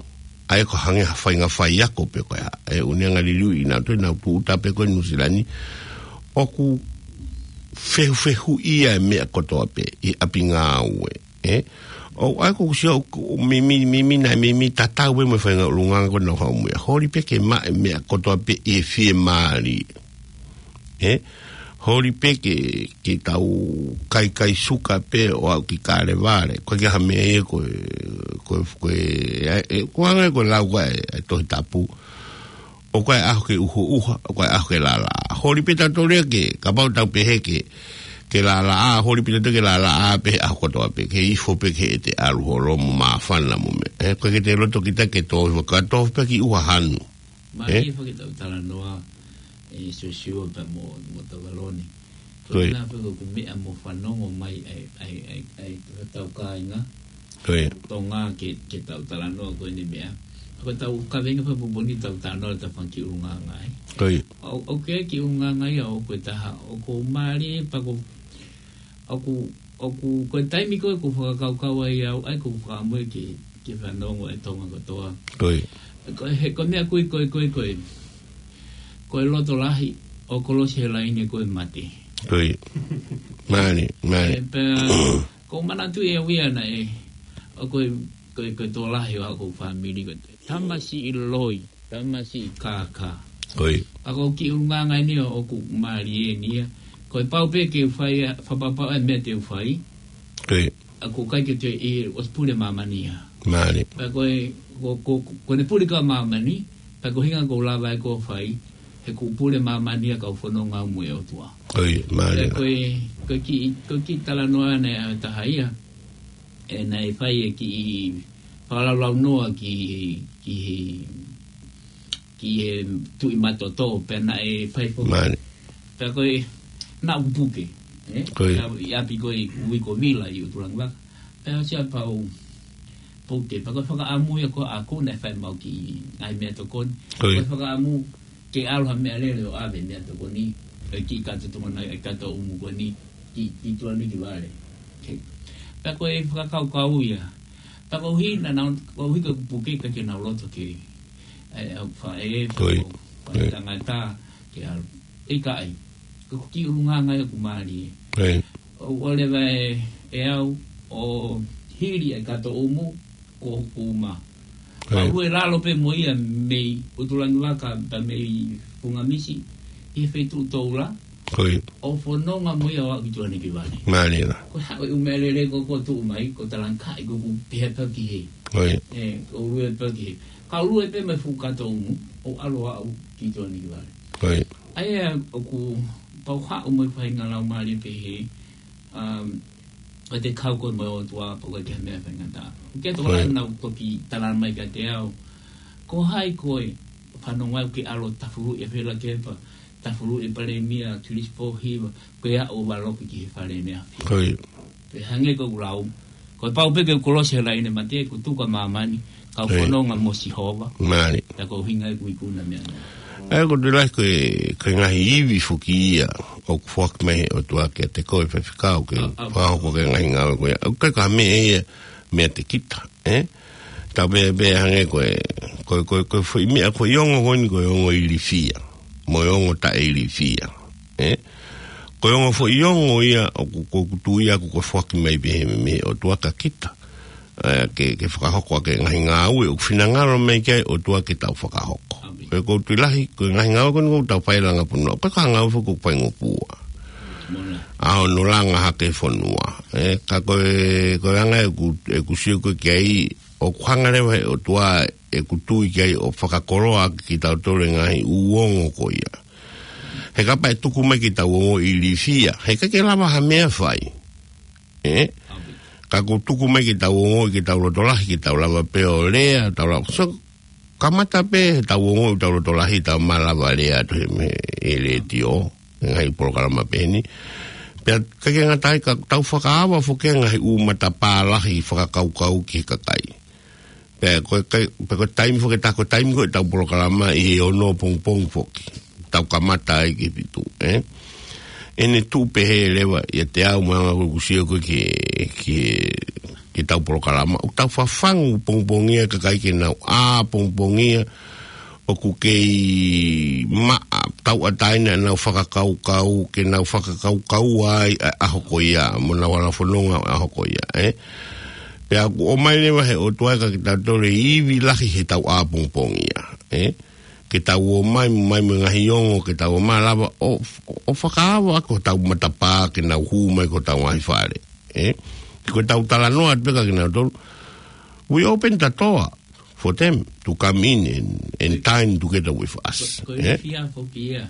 ʻA ia ko e hangē ha faʻahinga faiako pe ko e hā. Ē, ʻoku ne hanga ʻo liliu ʻi nautolu, nau tūʻuta pē ko ē Nuʻu Sila ni. ʻOku fehufehuʻia e meʻa kotoa pē, ʻi ʻapi ngāue. Ē? ʻO, ʻa ia ʻoku ou sio, ʻoku, mimi, mimi, naʻe mimi tatau pē mo e faʻahinga ʻulungaanga ko ē naʻa ku haʻu mo ia. Holi pē ke maʻu e meʻa kotoa pē ʻi he fiemālie. Ē? Holi pē ke, ke tau kaikai suka pē ʻo aʻu ki Kalevale. ʻOku ʻikai ha meʻa ia ko e, ko e, ko e, ē, ē, ʻoku hangē ko e lau ko ē ʻa e Tohi Tapu. ʻOku ʻi ai e ʻaho ke ʻuhoʻuha, ʻoku ʻi ai e ʻaho ke lālāʻā. Holi pē tautolu ia ke, kapau te tau pehē ke, ke lālāʻā, holi pē tautolu ke lālāʻā pē he ʻaho kotoa pē, ke ifo pē ki heʻete ʻalu holo mo māfana mo e meʻa. Ē, ʻoku ʻikai ke te loto kita ke tō ifo, ka tō pē ki ʻuha hanu. Mālie, ē? Foki ʻetau talanoa, ē, Siosiua pea mo, mo Tavaloni. Ko ia. Ko e hā pē ko ʻeku meʻa mo fanongo mai ai, ai, ai, ai, ko ʻetau kāinga. Ko ia. Tonga ke, ke tau talanoa ko eni meʻa. Ko e tau kaveinga fakapoupou ni tau tano ta fanga kiʻi ʻulungaanga ai. Ko ia. ʻO, ʻoku ʻi ai e kiʻi ʻulungaanga ia ʻoku ʻi ai e taha, ʻoku mālie pea ko, ʻoku, ʻoku, ko e taimi ko ē ʻoku fakakaukau ai au, ʻa ia ʻoku ou fakaʻamu ke, ke fanongo e Tonga kotoa. Ko ia. Ko e, he, ko e meʻa ko ē, ko e, ko e, ko e, ko e loto lahi, ʻo kolosi he laine ko e mate. Ko ia. Mālie, mālie. ʻE, pea, ʻoku ou manatuʻi ʻe au ia naʻe, ʻo ko e, ko e, ko e tokolahi ʻo haʻaku fāmili ko e tamasiʻi loi, tamasiʻi kākā. Ko ia. Pea ko e kiʻi ʻulungaanga eni ʻoku mālie eni ia. Ko e pau pē ke u fai, fakapapau e meʻa te u fai. Ko ia. ʻOku ʻikai ke te ʻi ʻosi pule māmani ia. Mālie. Pea ko e, ko, ko, ko ʻene pule ka māmani, pea ko e ʻuhinga ʻoku ou lava ʻe au ʻo fai, he ʻoku pule māmani ia kau fononga mo e ʻOtua. Ko ia, mālie. Pea ko e, ko e kiʻi, ko e kiʻi talanoa naʻe ʻa e taha ia, ʻe naʻe fai e kiʻi fakalaulaunoa ki, ki he, ki he Tuʻi Matoto, pea naʻe fai foki. Mālie. Pea ko e, naʻa ku puke, ē? Ko ia. Naʻa ku ʻi ʻapi ko ē ʻi Uikovila ʻi ʻUtulangivaka. Pea ʻosi ia pea u puke, pea ko e fakaʻamu ia ko ē ʻaʻaku naʻe fai maʻu kiʻi ngaahi meʻatokoni. Ko ia. Ko e fakaʻamu ke ʻalu ha meʻalele ʻo ʻave meʻatokoni, ʻe kiʻi kato Tonga nai, ʻe kato ʻumu ko eni, ki, ki Tuʻanekivale. Ke. Pea ko e fakakaukau ia. Pea ko e ʻuhi naʻa nau, ko e ʻuhi ko e puke ka ke nau loto ke, ʻe, ʻe, faʻē, Ko ia. Ko e Ko ia. tangata, ke ʻalu. ʻIkai, ko e kiʻi ʻulungaanga ia ʻoku mālie. Ko ia. ʻO, ʻo leva ʻe, ʻe au, ʻo hili e kato ʻumu, ko hoku uma. Ko ia. Pea ʻoku lalo pē mo ia mei ʻUtulangivaka pea mei Fungamisi, ʻi he feituʻu Toula, Ko ia. ʻo fononga mo ia ʻo aʻu ki Tuʻanekivale. Mālie lā. Ko e haʻu e ʻū meʻalele ko ē ʻoku tuʻu mai, ko e talangkaʻi ko ē ʻoku pehē pē ki hē. Ko ia. ʻE, ʻo lue pē ki hē. Ka lue pē mei he fuʻu kato ʻumu, ʻo ʻalu ʻo aʻu ki Tuʻanekivale. Ko ia. ʻA ia ʻoku pau haʻu mo e faʻahinga laumālie pehē, um, ʻo te kau ko ē mo e ʻOtua pea ʻoku ʻikai ke ha meʻa faingataʻa. Ke tokolahi Right. naʻa ku toki tala mai kiate au. Ko hai koe, fanongo au ke ʻalu ʻo tafuluʻi e Fela Kepa, tafuluʻi e Palēmia, Kilisi Pōhiva, ko e aʻu ʻo valoki ki he fale ʻene afi. Ko ia. Pea hangē ko ʻeku lau, ko e pau pē ke u kolosi he laine mate, ʻoku tuku ʻa māmani, kau Ko ia. fononga mo Sihova. Mālie. Pea ko e ʻuhinga ia ʻeku ikuna meʻa nō. ʻA ia ʻoku ou tui lahi ko e, ko e ngaahi ivi foki ia ʻoku foaki mai he ʻOtua kiate koe Faifekau ke ʻA, ʻa. fakahoko ki he ngaahi ngāue ko ia. ʻOku ʻikai ko ha meʻa ia meiate kita, ē? Tau pehē pē hangē ko e, ko e, ko e, ko e foʻi meʻa, ko e ongo ko eni ko e ongo ilifia. Mo e ongo taʻeilifia, ē? Ko e ongo foʻi ongo ia ʻoku, ʻoku ou tui au ʻoku foaki mai pē mei he ʻOtua kia kita. ʻA ia ke, ke fakahoko ʻaki e ngaahi ngāue ʻoku finangalo mai ki ai e ʻOtua ke tau fakahoko. ʻĒmeni. Ko e ʻoku ou tui lahi, ko e ngaahi ngāue ko eni ʻoku tau fai langa fonua. ʻOku ʻikai ko ha ngāue foki ʻoku faingofua. Mona. ʻA hono langa hake fonua. Ē, ka ko e, ko e anga ʻeku, ʻeku sio ko ē ki ai, ʻoku hanga leva he ʻOtua ʻeku tui ki ai ʻo fakakoloa ʻaki kitautolu e ngaahi ʻū ongo ko ia. He kapau ʻe tuku mai ke tau ongoʻi ilifia, he ʻikai ke lava ha meʻa fai. Ē? ʻĒmeni. Ka ʻoku tuku mai ke tau ongoʻi, ke tau loto lahi, ke tau lava pē ʻo lea, tau lava. So, kamata pē, tau ongoʻi, tau loto lahi, tau malava lea atu he, he, he letiō, he ngaahi polokalama pehē ni. Pea ʻikai ke ngata ai ka tau fakaava foki e ngaahi ʻū matapā lahi fakakaukau ki he kakai. Pea ko e kai, pea ko e taimi foki ʻe taha ko e taimi ko ē ʻetau polokalama ʻi he ono pongipongi foki. Tau kamata ai ki he fitu, ē? ʻEne tuʻu pehē leva ʻiate au mo e anga ʻeku sio ko ē ki he, ki he, ki heʻetau polokalama. ʻOku tau fafangu pongipongia e kakai ke nau ʻā pongipongia ʻoku kei maʻa tauʻatāina ʻenau fakakaukau, ke nau fakakaukau ai ʻa e ʻaho ko ia, mo ʻenau hala fononga ʻo e ʻaho ko ia, ē? Pea ʻoku ʻomai leva he ʻOtua ia kia kitautolu e ivi lahi heʻetau ʻā pongipongia, ē? Ke tau ō mai, mai mo e ngaahi ongo, ke tau ō mai lava ʻo, ʻo fakaava ʻaki hotau matapā ke nau hū mai ki hotau ngaahi fale, ē? Ko ʻetau talanoa atu pē kia kinautolu. We open the door for them to come in and, and dine together with us. Ko, ko e Ē? ilifia foki ia,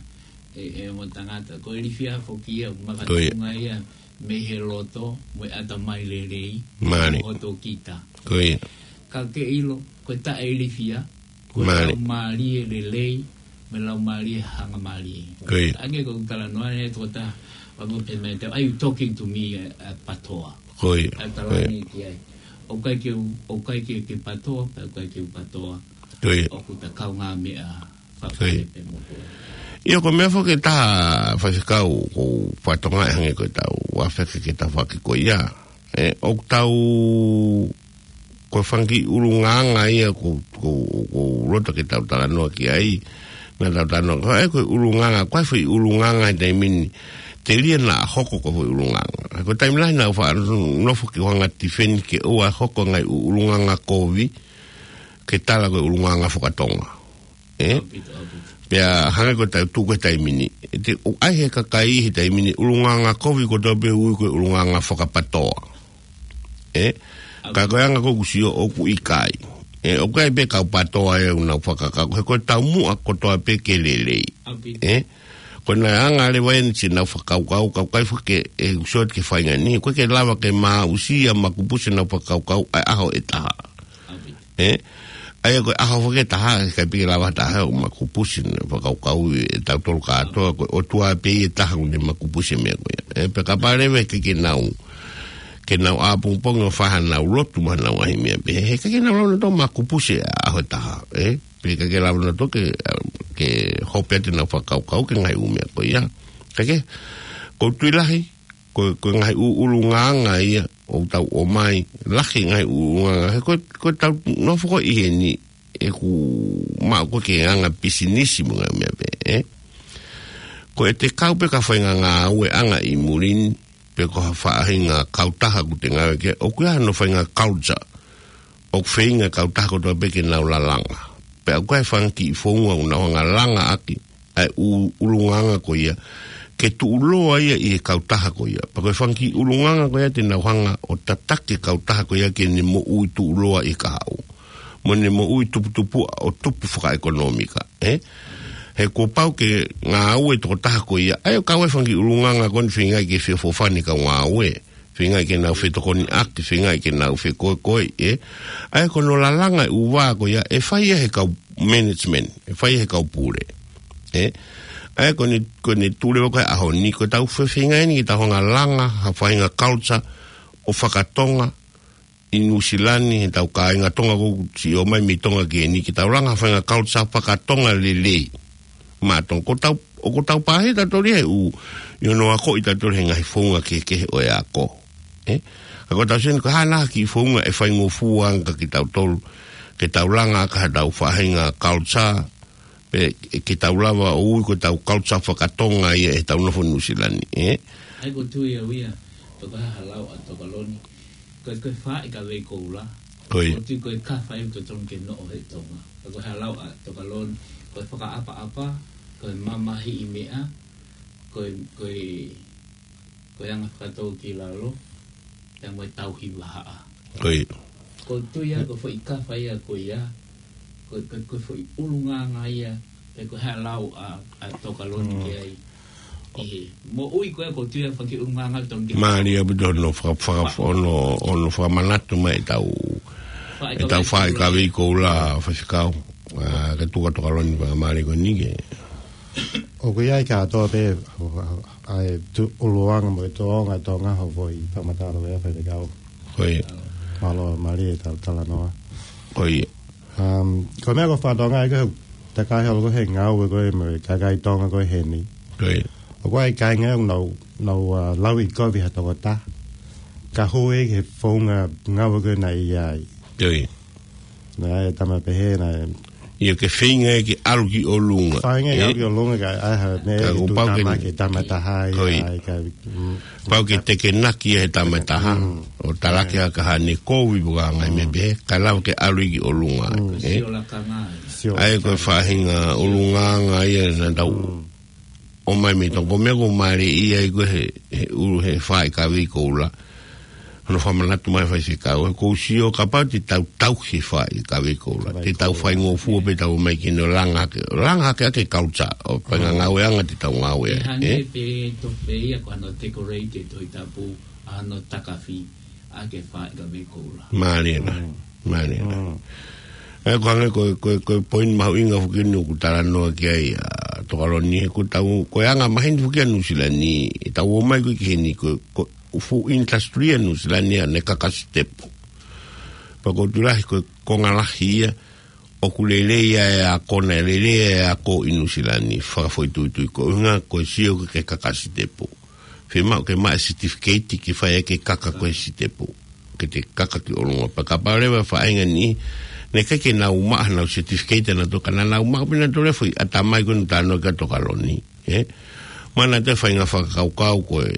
ē, ē, mo tangata. Ko e ilifia foki ia, Ko ia. makatunga ia, mei he loto, mo e ʻatamai lelei, Mālie. ʻo hotau kita. Ko ia. Ka ke ʻilo, ko e taʻeilifia, ko e Mālie. laumālie lelei, mo e laumālie hangamālie. Ko ia. Hangē ko e talanoa ʻe he tokotaha, ʻoku pehē mai te, "Are you talking to me, uh, uh, patoa?" Ko ia. ʻA e Ko ia. talanoa ki ai. ʻOku ʻikai ke u, ʻoku ʻikai ke, ke patoa, pea ʻoku ʻikai ke u patoa. Ko ia. ʻOku ta kaungāmeʻa. Ko ia. Fakapepe mo koe. ʻIo, ko e meʻa foki ʻe taha, Faifekau, ʻoku ou fakatokangaʻi hangē ko ʻetau afe ke ke tafoki ko ia. ʻE, ʻoku tau, ko e fanga kiʻi ʻulungaanga ia ʻoku, ʻoku, ʻoku ou loto ke tau talanoa ki ai. Naʻa tau talanoa, ko e, ko e ʻulungaanga, ko e foʻi ʻulungaanga he taimi ni, telia naʻa hoko ko e foʻi ʻulungaanga. Ko e taimi lahi naʻa ku faʻa nofo ki hono anga tifeni ke ʻoua ʻe hoko e ngaahi ʻu-, ʻulungaanga kovi, ke tala ko e ʻulungaanga fakatonga. ʻE? ʻAupito, ʻaupito. Pea hangē ko ʻetau tuʻu ko ē he taimi ni. ʻE te u ʻai he kakai he taimi ni, ʻulungaanga kovi kotoa pē ui ko e ʻulungaanga fakapatoa. ʻE? ʻAupito. Ka ko e anga ko ē ʻoku sio ʻoku ʻikai. ʻE, ʻoku ʻi ai pē kau patoa ʻoku nau fakakau. He ko e taumuʻa kotoa pē ke lelei. ʻAupito. ʻE? Ko e anga leva eni siʻenau fakakaukau, ka ʻoku ʻikai foki ke, ʻe, ʻoku sio atu ki he faʻahinga ni. ʻOku ʻikai ke lava ke maʻusia makupusi ʻenau fakakaukau ʻa e ʻaho ʻe taha. ʻAupito. ʻE? ʻA ia ko e ʻaho foki ʻe taha, ʻikai pē ke lava ha taha ʻo makupusi ʻene fakakaukau ʻe tautolu kātoa, ko e ʻOtua pē ʻe taha ʻoku ne makupusi e meʻa ko ia. ʻE, pea kapau leva ʻe ʻikai ke nau, ke nau ʻapongipongi ʻo fai haʻanau lotu mo haʻanau ngaahi meʻa pehē, he ʻikai ke nau lava nautolu ʻo makupusi e ʻaho ʻe taha, ʻe? Pea ʻikai ke lava nautolu ke, ke hopo atu ʻenau fakakaukau ki he ngaahi ʻū meʻa ko ia. Kae kehe, ʻoku ou tui lahi, ko, ko e ngaahi ʻu-, ʻulungaanga ia ʻoku tau ʻomai, lahi e ngaahi ʻulungaanga. He ko, ko ʻetau nofo ko ē ʻi heni, ʻoku maʻu ko ē ki he anga pisinisi mo e ngaahi meʻa pehē, ʻe? Ko ʻete kau pē ki ha faʻahinga ngāueʻanga ʻi muli ni, pe ko ha faʻahinga kautaha ʻoku te ngāue ki ai, ʻoku ʻi ai hano faʻahinga culture. ʻOku feinga e kautaha kotoa pē ke nau lalanga. Pea ʻoku ʻi ai e fanga kiʻi founga ʻoku nau hanga ʻo langa ʻaki ʻa e ʻu-, ʻulungaanga ko ia, ke tuʻuloa ia ʻi he kautaha ko ia. Pea ko e fanga kiʻi ʻulungaanga ko ia te nau hanga ʻo tataki e kautaha ko ia ke ne moʻui tuʻuloa ʻi he kahaʻu. Mo ne moʻui tuputupuʻa ʻo tupu fakaʻekonōmika, ʻe? He kuo pau ke ngāue e tokotaha ko ia. ʻA ia ʻoku kau ai e fanga kiʻi ʻulungaanga ko eni feingaʻi ke feʻofoʻofani e kau ngāue. Feingaʻi ke nau fetokoniʻaki, feingaʻi ke nau fekoekoeʻi, ʻe? ʻA ia ko hono lalanga e ʻū vā ko ia, ʻe fai ia ʻe he kau management, ʻe fai ia ʻe he kau pule. ʻE? ʻA ia ko ʻene, ko ʻene tuʻu leva ko ē he ʻaho ni, ko ʻetau fe-, feingaʻi eni ke tau hanga ʻo langa ha faʻahinga culture ʻo fakatonga ʻi Nuʻusila ni, heʻetau kāinga Tonga ʻoku siʻi ō mai mei Tonga ki heni, ke tau langa ha faʻahinga culture fakatonga lelei. Maʻa Tonga, ʻoku tau, ʻoku tau pāhia tautolu ia he ʻū, ʻi hono akoʻi tautolu he ngaahi founga kehekehe ʻo e ako. ʻE? Ka ko ʻetau sio eni ko e hā nai ha kiʻi founga ʻe faingofua ange kia kitautolu, ke tau langa ʻaki haʻatau faʻahinga culture, pe ke tau lava ʻo ui ko ʻetau culture fakatonga ia ʻi heʻetau nofo Nuʻusila ni, ʻe? ʻA ia ʻoku ou tui au ia, toka ha lau ʻa Tokaloni, ko e, ko e faaʻi kavei koula. Ko ia. ʻOku ou tui ko e kafa ia ʻoku totonu ke noʻo he Tonga. Ko e, ko e hā e lau ʻa Tokaloni, ko e fakaʻapaʻapa, ko e mamahiʻi meʻa, ko e, ko e, ko e anga fakatōkilalo, pea mo e tauhi vahaʻa. Ko ia. ʻOku ou tui au ko e foʻi kafa ia ko ia, ko e, ko e, ko e foʻi ʻulungaanga ia, pe ko e hā e lau ʻa, ʻa Tokaloni Mm. ki ai. ʻI he moʻui ko ē ʻoku ou tui au fanga kiʻi ʻulungaanga ʻoku totonu ke Mālie ʻaupito hono faka-, faka-, Fa- hono, hono fakamanatu mai ʻetau, Faaʻi ʻetau kavei faaʻi koula. Kavei koula, Faifekau. ʻA, ke tuku atu Tokaloni fakamālie ko eni ke. ʻOku ʻi ai kātoa pē, ʻa e tu-, ʻulungaanga mo e tōʻonga, tōʻonga hoʻo foʻi fakamatala ʻa e Faifekau. Ko ia. Mālō, mālie e tau talanoa. Ko ia. Um, ko e meʻa ʻoku ou fakatokangaʻi ko e takai holo ko ē he ngāue ko ē mo e kakai Tonga ko ē heni. Ko ia. ʻOku ʻi ai e kāinga ʻoku nau, nau, uh, lauʻikovi ha tokotaha. Ka hū ia ki he founga ngāue ko ē naʻe ʻi ai. Ko ia. Naʻe ʻi ai e tama pehē naʻe ʻIo ke feinga ke ʻalu ki ʻolunga. Feinga ke ʻalu ki ʻolunga ka ʻai ha meʻa Ka ke kuo pau ke tuʻutāmaki e tama ʻe taha ia, Ko ia. ʻAi ka, mm, Pau ke tekenaki ia he tama ʻe taha. Mm. ʻO talaki ʻaki haʻane kovi pe ko e ngaahi meʻa pehē, kae lava ke ʻalu ia ki ʻolunga. Mm. ʻE? Sio lakanga. Sio ʻA ia ko e lakanga. Faʻahinga ʻulungaanga ia naʻa tau Mm. ʻomai mei Tonga, ko e meʻa ʻoku mālie ai ko ē he, he ʻulu he faaʻi kavei koula. Hono fakamanatu mai Faifekau, he ʻoku ou sio kapau te tau tauhi e faaʻi kavei koula. Kavei Te tau koula. Faingofua pē tau mai ki hono langa hake, langa hake ʻaki e culture, ʻo e faʻahinga Mm. ngāueʻanga te tau ngāue ai, ʻE hangē ʻe? pē tofu pē ia ko hano decorate e Tohi Tapu, ʻa hano takafi, ʻa e faaʻi kavei koula. Mālie nā. Mm. Mālie nā. Mm. ʻE, ko e hangē ko, ko, ko e poini mahuʻinga foki eni ʻoku talanoa ki ai ʻa Tokaloni, he ko ʻetau, ko e anga maheni foki ʻa Nuʻusila ni, ʻetau ō mai ko ē ki heni, ko, ko e fuʻu industry ʻa Nuʻusila ni ʻa ʻene kaka sitepu. Pea ʻoku ou tui lahi ko e konga lahi ia, ʻoku lelei ʻa e ako, naʻe lelei ʻa e ako ʻi Nuʻusila ni, fakafoʻituitui ko e ʻuhinga ko e sio ki he kaka sitepu. Fiemaʻu ke maʻu e certificate ke fai ʻaki e kaka ko e sitepu. Ke te kaka ki ʻolunga. Pea kapau leva faʻahinga ni, naʻe ʻikai ke nau maʻu haʻanau certificate naʻa nau toka, naʻa nau maʻu pē naʻa nau toe foʻi ʻatamai ko eni talanoa ki ai Tokaloni. ʻE? Mana te faʻahinga fakakaukau ko e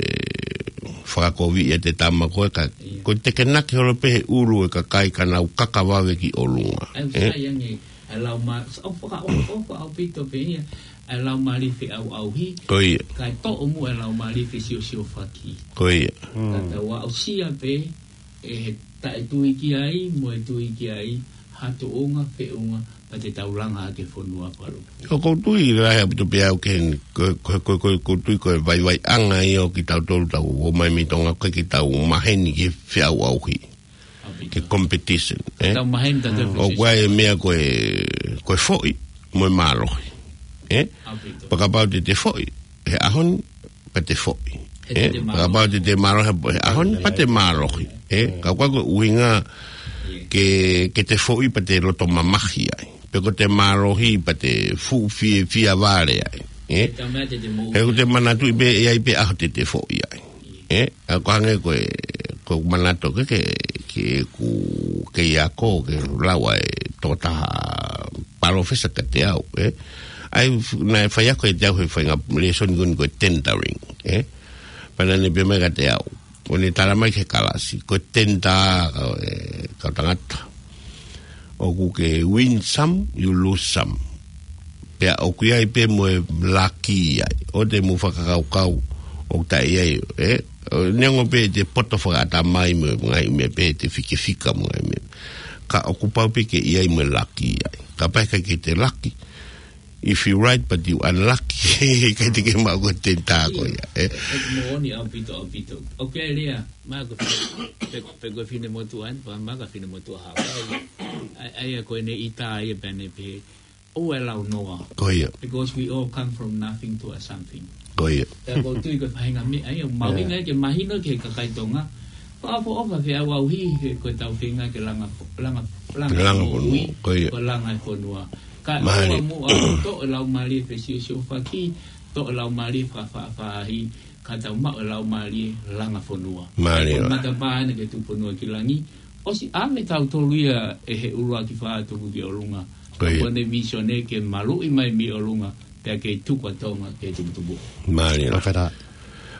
fakakovi ʻiate tama ko e ka, ko e tekenaki holo pē he ʻulu e kakai ka nau kaka vave ki ʻolunga. ʻE? Sai ange, ʻa e lau ma-, ʻo fakaʻofoʻofa ʻaupito pē ia, ʻa e lau mali feʻauʻauhi. Ko ia. Kae toʻo muʻa e lau mali fesiosiofaki. Ko ia. Ka tau aʻusia pē, ʻe he taʻetui ki ai, mo e tui ki ai, ha tuʻunga, feʻunga, pea te tau langa ʻaki e fonua palu. ʻOku ou tui lahi ʻaupito pē au ke, ko, ko, ko, ko, ko tui ko e vaivaiʻanga ia ʻo kitautolu tau ō mai mei Tonga ko e ke tau maheni ke feʻauʻauhi. Ke competition, ʻe? Tau maheni tau ʻOku ʻi ai e meʻa ko e, ko e foʻi, mo e mālohi. ʻE? Pea kapau te te foʻi, he ʻaho ni, pea te foʻi. ʻE? Pea kapau te te mālohi, he ʻaho ni, pea te mālohi. ʻE? Ka ʻoku ʻikai ko e ʻuhinga ke, ke te foʻi pea te loto mamahi ai. Pe ko te mālohi pea te fuʻu fiefia vale ai. ʻE? He ʻoku te manatuʻi pē, ʻe ʻi ai pē ʻaho te te foʻi ai. ʻE? ʻA ko e hangē ko e, ko e manatu ke, ke, ke ku, ke i ako, ke lau ʻa e tokotaha palōfesa kiate au, ʻe? ʻA ia f-, naʻe fai ako ʻiate au he faʻahinga lēsoni ko eni ko e tendering, ʻe? Pea naʻa ne pehē mai kiate au. ʻO ne tala mai ki he kalasi. Ko e tender, ʻe, kau tangata. ʻOku ke win some, you lose some. Pea ʻoku ʻi ai pē mo e laki ai. ʻOua te mou fakakaukau, ʻoku taʻe ʻi ai, ʻe? ʻO neongo pē te poto fakaʻatamai mo e ngaahi meʻa pē te fikefika mo e ngaahi meʻa. Ka ʻoku pau pē ke ʻi ai mo e laki ai. Kapau ʻe ʻikai ke te laki. If you right but you unlucky, ʻikai te ke maʻu ko e tender ko ia, ʻe? ʻE moʻoni ʻaupito, ʻaupito. ʻOku ʻi ai e lea, maka fine, pe, pe ko e finemotuʻa eni, pe maka finemotuʻa Haʻapai. ʻA ia, ʻa ia ko ʻene ʻita ia pea ne pehē, ʻoua ʻe lau noa. Ko ia. Because we all come from nothing to a something. Ko ia. Pea ʻoku ou tui ko e faʻahinga meʻa ia, ʻoku mahuʻinga ke mahino ki he kakai Tonga. Fakaʻofoʻofa feʻauʻauhi he ko e tau feinga ke langa, langa, langa Langa fonua, fonua, ko ia. Ko e langa e fonua. Ka Mālie. ʻOua muʻa toʻo e lau mali fesiosiofaki, toʻo e lau mali fakafaʻafaʻahi, ka tau maʻu e lau mali langa fonua. Mālie. Ko e matapā ena ki he Tuʻufonua ki langi, ʻosi ʻave tautolu ia ʻe he ʻuluaki fā tuku ki ʻolunga. Ko ia. Ko ʻene vīsone ke maluʻi mai mei ʻolunga, pea ke tuku ʻa Tonga ke tuputupu. Mālie. Fakafetaʻi.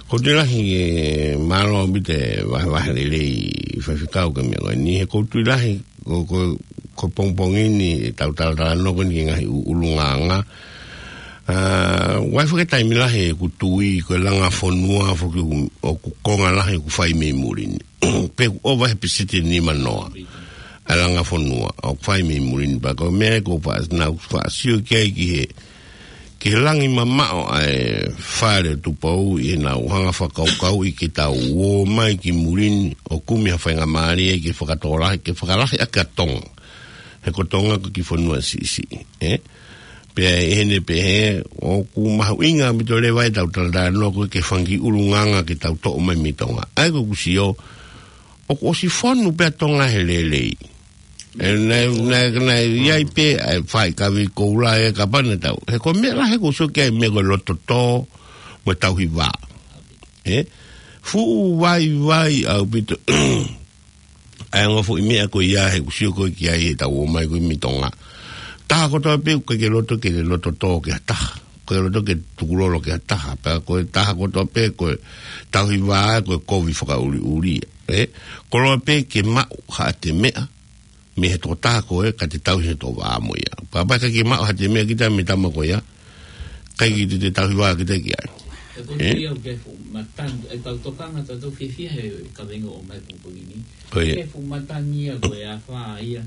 ʻOku ou tui lahi ʻe mālō ʻaupito e vahevahe lelei Faifekau ki he meʻa ko eni. He ʻoku ou tui lahi ko, ko, ko e pongipongi ni ʻetau talatalanoa ko eni ki he ngaahi ʻu-, ʻulungaanga. ʻA, ʻoku ʻi ai foki e taimi lahi ʻeku tui ko e langa fonua foki ʻoku, ʻoku konga lahi ʻoku fai mei muli ni. Pe ʻoku ʻova he peseti ʻe nimanoa. ʻA e langa fonua ʻoku fai mei muli ni pea ko e meʻa ko e faʻa-, naʻa ku faʻa sio ki ai ki he, ki he langi mamaʻo ʻa e fale Tupou ʻi heʻenau hanga fakakaukauʻi ke tau ō mai ki muli ni ʻo kumi ha faingamālie ke fakatōlahi, ke fakalahi ʻaki ʻa Tonga. He ko Tonga ko e kiʻi fonua siʻisiʻi, ʻe? Pea ʻi heʻene pehē, ʻoku mahuʻinga ʻaupito leva ʻetau talatalanoa ko e ke fanga kiʻi ʻulungaanga ke tau toʻo mai mei Tonga. ʻA ia ko ʻeku sio, ʻoku ʻosi fonu pē ʻa Tonga he lelei. ʻE, naʻe, naʻe, naʻe ʻi ai pē, ʻa e fai kavi koula ʻe kapau naʻa tau. He ko e meʻa lahi ʻoku ou sio ki ai meʻa ko e loto tō, mo e tauhi vā. ʻE? Fuʻu vaivai ʻaupito. ʻA e ongo foʻi meʻa ko ia he ʻoku ou sio ko ē ki ai ʻetau ō mai ko ē mei Tonga. Taha kotoa pē ʻoku ʻikai ke loto ke loto tō ki ha taha. Ko e loto ke tukulolo ki ha taha. Pea ko e taha kotoa pē ko e tauhi vā ko e kovi fakaʻuliʻuli. ʻE? Koloa pē ke maʻu haʻate meʻa, mei he tokotaha ko ē ka te tauhi he toʻo vā mo ia. Pea kapau ʻe ʻikai ke maʻu haʻate meʻa kita mei he tama ko ia, ʻikai ke te, te tauhi vā kita ki ai. ʻE ko ʻE? Ia ke fuʻu matangi, ʻe tau tokanga tautolu fiefia he kaveinga ʻo mai pongipongi ni. Ko ia. Ke fuʻu matangi ia ko e afā ia,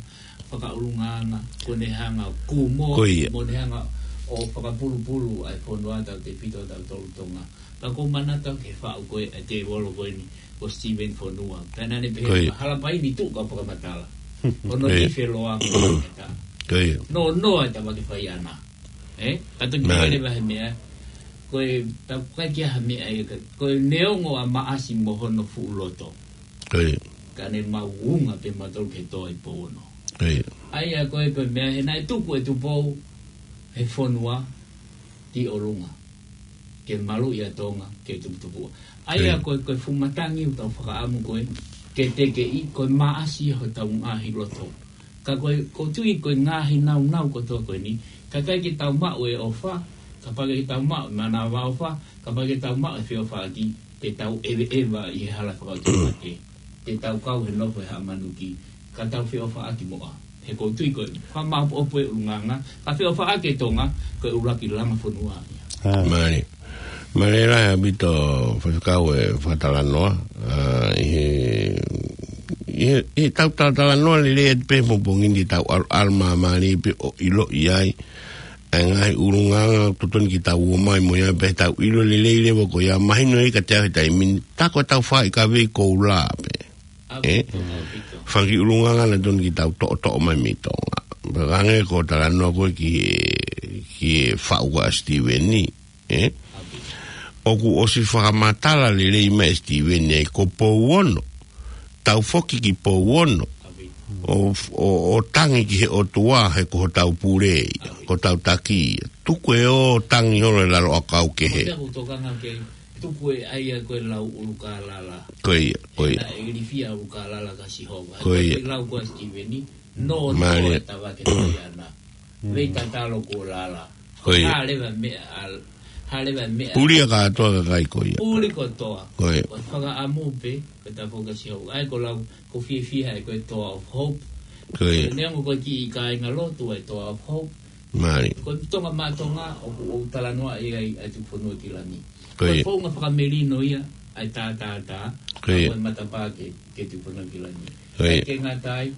fakaʻulungaanga, ko ʻene hanga ʻo kumo, Ko ia. mo ʻene hanga ʻo fakapulupulu ʻa e fonua tautefito tautolu Tonga. Ka ʻoku ou manatu ki he faʻu ko ē ʻa e tēvolo ko eni, ko Steven Fonua. Pea naʻa ne pehē Ko ia. Halapai ni tuʻu ka fakamatala. Ko hono Ko ia. Nife loa ko e fakamatala. Ko ia. Noa noa e tama ke fai ʻana. ʻE? Ka toki Nā. Pehē leva he meʻa. Ko e tau kai kia ha meʻa ia ka. Ko e neongo ʻa Maʻasi mo hono fuʻu loto. Ko ia. Ka ne mau unga pē mautolu ke tō i Pouono. Ko ia. ʻA ia ko e, ko e meʻa he naʻe tuku ʻe Tupou he fonua ki ʻolunga, ke maluʻi ʻa Tonga ke tuputupuʻa. ʻA ia ko e, ko e fuʻu matangi ʻoku tau fakaʻamu ko e, ke tekeʻi, ko e maʻasi hotau ngaahi loto. Ka ko e, ʻoku ou tui ko e ngaahi naunau kotoa ko eni, ka ʻikai ke tau maʻu e ʻofa, kapau ʻikai ke tau maʻu e manavaʻofa, kapau ʻikai ke tau maʻu e feʻofaʻaki, te tau ʻeveʻeva ʻi he hala fakaʻotuake, te tau kau he nofo ʻi Haʻamanuki, ka tau feʻofaʻaki muʻa. He ʻoku ou tui ko e, fakamāʻopoʻopo e ʻulungaanga, ka feʻofaʻaki e Tonga, ko e ʻuluaki langa fonua ia. Mālie. Mālie lahi ʻaupito Faifekau e fakatalanoa, ʻa, ʻi he, ʻi he, ʻi he tau talatalanoa lelei atu pē he pongipongi ni, tau ʻalu, ʻalu māmālie pē ʻo ʻiloʻi ai ʻa e ngaahi ʻulungaanga ʻoku totonu ke tau ō mai mo ia pea tau ʻilo lelei leva ko ia mahino ia kiate au he taimi ni, tā ko e tau fakaʻikavei koula pē. ʻE? Fanga kiʻi ʻulungaanga naʻe totonu ke tau toʻotoʻo mai mei Tonga. Pea hangē ko e talanoa ko ē ki he, ki he faʻu ko ē ʻa Sitīveni, ʻe? ʻOku ʻosi fakamatala lelei mai ʻe Sitīveni ai ko Pouono. Tau foki ki Pouono. ʻO, ʻo, ʻo tangi ki he ʻOtua he ko hotau pule ia, ko hotau taki ia. Tuku e ō tangi holo ʻi lalo ʻakau kehe. Ko ia ko e tokanga ke tuku e ʻai ʻa ko e lau ʻUlukālala. Ko ia, ko ia. Naʻe ilifia ʻUlukālala kia Sihova. Ko ia. Ko e lau ko ē ʻa Sitīveni, no, no, Mālie. E tava ke tui ana. Vei tatalo ko lala. Ko ia. Hā leva meʻa al-, hā leva meʻa. Puli ʻa kātoa kakai ko ia. Puli kotoa. Ko ia. Ko e fakaʻamu pē, ko e tafo kia Sihova. ʻA ia ko e lau, ʻoku ou fiefia ai ko e Toa of Hope. Ko ia. Neongo ko e kiʻi kāinga lotu e Toa of Hope. Mālie. Ko e Tonga Maʻa Tonga, ʻoku ou talanoaʻi ai ʻa e Tuku Fonua ki Langi. Ko ia. Ko e founga fakamelino ia ʻa e tātātā, ko ia. Ko e matapā ke, ke Tuku Fonua ki Langi. Ko ia. Ke ngata ai,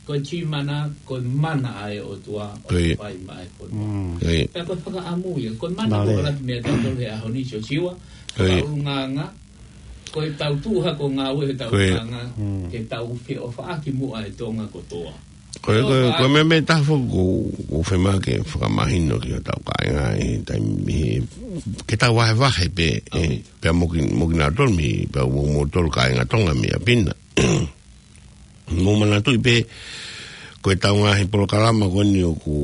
ko e tui mana, ko e mana ʻa e ʻOtua, ko ia. ʻOku fai maʻa e fonua. Mm. Ko ia. Pea ko e fakaʻamu ia, ko e mana, mālie, ko e laki meʻa tautolu he ʻaho ni, Siosiua, ko ia. Fakaʻulungaanga, ko e tau tuʻu hake ʻo ngāue he tau, ko ia. Anga, mm, ke tau feʻofaʻaki muʻa e Tonga kotoa. Ko e, ko e, ko e meʻa, meʻa ʻe taha foki ʻoku, ʻoku ou fiemaʻu ke fakamahino ki hotau kāinga he taimi he, ke tau vahevahe pē, ʻe, pea mo ki-, mo kinautolu mei, pea mo, mo tolu kāinga Tonga mei ʻapi na. Mou manatuʻi pē, ko e tau ngaahi polokalama ko eni ʻoku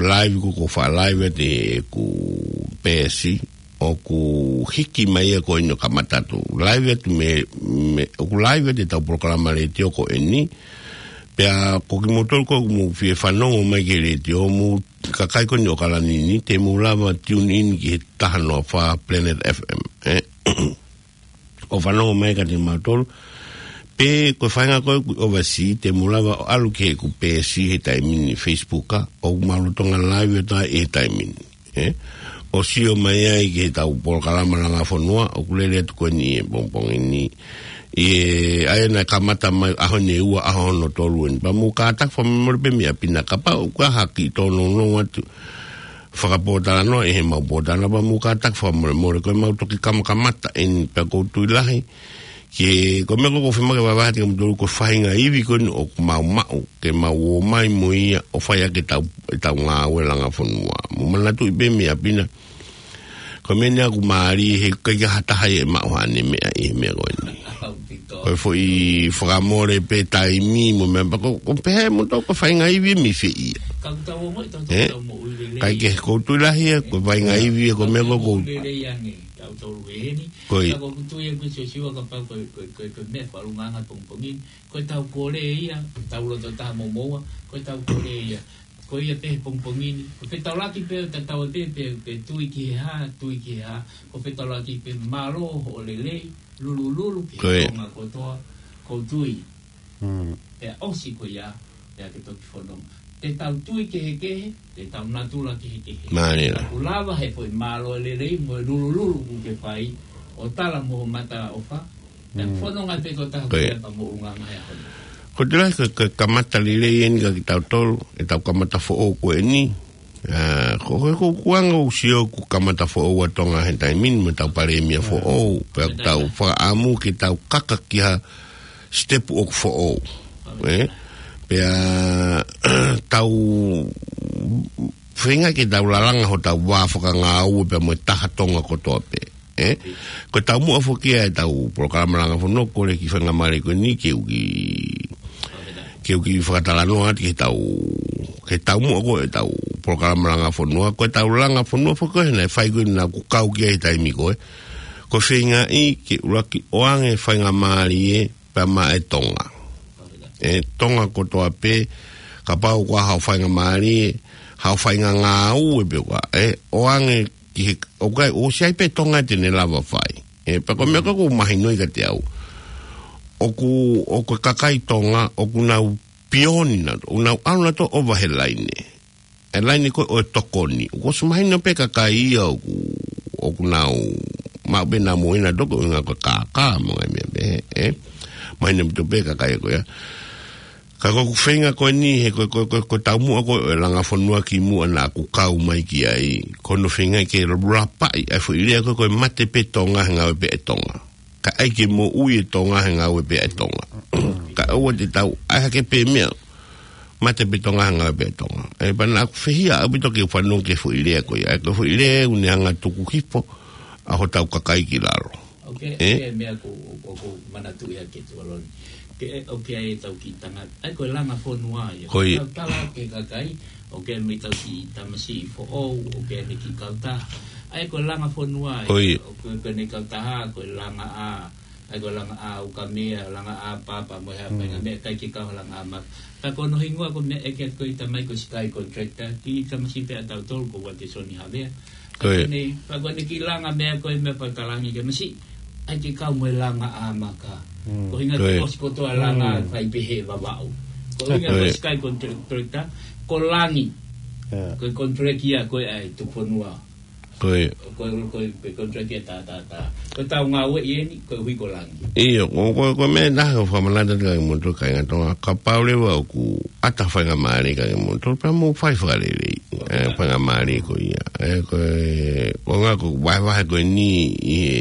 live, ko, ko e faʻa live atu ʻeku peesi, ʻoku hiki mai ia ko eni ʻo kamata atu. Live atu mei, mei, ʻoku live atu e tau polokalama letiō ko eni. Pea ko kimoutolu ko ē ʻoku mou fie fanongo mai ki he letiō, mou kakai ko eni ʻo ʻAokalani ni, te mou lava tune in ki he taha noa fā Planet F M, ʻe? ʻO fanongo mai kiate kimautolu. Pe ko e faʻahinga ko ē ʻoku ʻi overseas, te mou lava ʻo ʻalu ki heʻeku peesi he taimi ni, Facebook, ʻa, ʻoku mau lolotonga live atu ai he taimi ni, ʻe? ʻO sio mai ai ki he tau polokalama Langa Fonua, ʻoku lele atu ko eni he pongipongi ni. ʻI he, ʻa ia naʻe kamata mai ʻaho ni ʻe ua, ʻaho hono tolu eni. Pea mou kātaki fakamolemole pē mei ʻapi na kapau ʻoku ʻi ai ha kiʻi tōnounou atu fakapōtalanoa ʻi he mau pōtalanoa, pea mou kātaki fakamolemole, ko e mau toki kamakamata eni, pea ʻoku ou tui lahi ke, ko e meʻa ko ē ʻoku ou fiemaʻu ke vahevahe atu kiate kimoutolu, ko e faʻahinga ivi ko eni ʻoku mau maʻu, ke mau ō mai mo ia ʻo fai ʻaki e tau, e tau ngāue Langa Fonua. Mou manatuʻi pē mei ʻapi na, ko e meʻa ni ʻoku mālie he ʻikai ke ʻi ai ha taha ia ʻe maʻu haʻane meʻa ʻi he meʻa ko eni. Ko e foʻi fakamole pē taimi mo e meʻa, pea ko, ʻoku ou pehē mo tau ko e faʻahinga ivi mei fē ia. ʻE? ʻIkai ke, ʻoku ou tui lahi ia, ko e faʻahinga ivi ia, ko e meʻa ko ē ʻoku ou. Ko ia. Ka ʻoku ou tui ʻe Siosiua kapau ko e, ko e, ko e, ko e meʻa fakaʻulungaanga pongipongi ni, ko e tau kole ia, tau loto taha mo moua, ko e tau kole ia. Ko ia pē he pongipongi ni, ko e fetaulaki pē, tatau ai pē, pē, pē tui ki he hā, tui ki he hā, ko e fetaulaki pē, mālō hoʻo lelei, lulululu ki he Tonga kotoa, ʻoku ou tui. Pea ʻosi ko ia, pea ke toki fononga. Te tau tui kehekehe, te tau natula kehekehe. Mālie. Ka ʻoku lava he foʻi mālō lelei mo e lulululu ʻoku ke fai, ʻo tala mo ho mata ʻofa, pea fononga pē kotoa ko ia pea mo ʻulungaanga he ʻaho ni. Ko e tala ko e, ko e kamata lelei eni kiate kitautolu, e tau kamata foʻou ko eni. ʻA, ko, ko, ko e ʻuhinga ʻoku ou sio ʻoku kamata foʻou ʻa Tonga he taimi ni mo e tau palēmia foʻou, pea ʻoku tau fakaʻamu ke tau kaka ki ha sitepu ʻoku foʻou. ʻE? Pea tau feinga ke tau lalanga hotau vā fakangāue pea mo e taha Tonga kotoa pē. ʻE? Ko e taumuʻa foki ia e tau polokalama Langa Fonua, kole ki he faingamālie ko eni ke u kiʻi ke u kiʻi fakatalanoa atu ki he tau, ki he taumuʻa ko ē ʻetau polokalama langa fonua, ko ʻetau langa fonua foki ko ē naʻe fai ko ē naʻa ku kau ki ai he taimi ko ē. Ko e feingaʻi ke ʻuluaki ʻoange faingamālie pea maʻa e Tonga. ʻE Tonga kotoa pē, kapau ko haʻo faingamālie, haʻo faingāue pē ko ē, ʻoange ki he, ʻoku ʻikai, ʻosi ʻi ai pē Tonga te ne lava fai. ʻE, pea ko e meʻa ko ē ʻoku mahino ai kiate au. ʻOku, ʻoku kakai Tonga, ʻoku nau pioni na, ʻoku nau ʻalu na ʻo ʻova he laine. ʻE laine ko ē ʻo e tokoni. ʻOku ʻosi mahino pē kakai ia ʻoku, ʻoku nau, maʻu pē namu ina toko ʻuhinga ko e kākā mo e meʻa pē, ʻe. Mahino pē kakai ko ia. Ka ko ʻeku feinga ko eni he ko, ko, ko, ko e taumuʻa ko ē ʻo e langa fonua kimuʻa naʻa ku kau mai ki ai. Ko hono feinga ke lalapaʻi ʻa e foʻi lea ko ē ko e mate pē Tonga he ngāue pē ʻa e Tonga. Ka ʻai ke moʻui e Tonga he ngāue pē ʻa e Tonga. Ka ʻoua te tau ʻai hake pē meʻa. Mate pē Tonga he ngāue pē ʻa e Tonga. ʻE pea naʻa ku fehiʻa ʻaupito ke u fanongo ki he foʻi lea ko ia. ʻA e ko e foʻi lea ʻoku ne hanga tuku hifo ʻa hotau kakai ki lalo. ʻOku ʻi ai, ʻe? ʻOku ʻi ai e meʻa ʻoku, ʻoku, ʻoku ou manatuʻi ʻaki ʻe Tuʻaloni. Ke, ʻoku ʻi ai ʻetau kiʻi tangata. ʻA e ko e langa fonua ia. Ko ia. Tau tala ki he kakai, ʻoku ʻi ai mo ʻetau kiʻi tamasiʻi foʻou, ʻoku ʻi ai mo e kiʻi kautaha. ʻA e ko e langa fonua ia. Ko ia. ʻOku, ko ʻene kautaha, ko e langa ʻa, ʻa e ko e langa ʻa ukamea, langa ʻa papa, mo e hā, Mm. painga meʻa ʻikai ke kau ha langa ʻa maka. Ka ko hono hingoa ko e meʻa ʻeke ko e tamai ko e Sky Contractor, kiʻi tamasiʻi pē ʻa tautolu ko Uatesoni Havea. Ko ia. Ko ʻene, pea ko ʻene kiʻi langa meʻa ko e meʻa pea ka langi ke masiʻi. ʻAi ke kau mo e langa ʻa maka. Mm. Ko e ʻuhinga Ko ia. ʻoku ʻosi kotoa langa Mm. fai pehē Vavaʻu. Ko e ʻuhinga Ko ko e ia. Sky Contractor, ko langi. Yeah. Ko e contract ia ko ē ʻa e tuku fonua. Ko ia. Ko e, ko e, ko e contract ia tā, tā, tā. Ko ʻetau ngāue ʻi heni, ko e hui ko langi. ʻIo, ko, ko, ko e meʻa naʻa ku fakamanatu atu kia kimoutolu kāinga Tonga. Kapau leva ʻoku ʻata faingamālie kia kimoutolu, pea mou fai fakalelei. ʻE, faingamālie ko ia. ʻE, ko e, ko e ʻuhinga ko e vahevahe ko eni, ʻi he,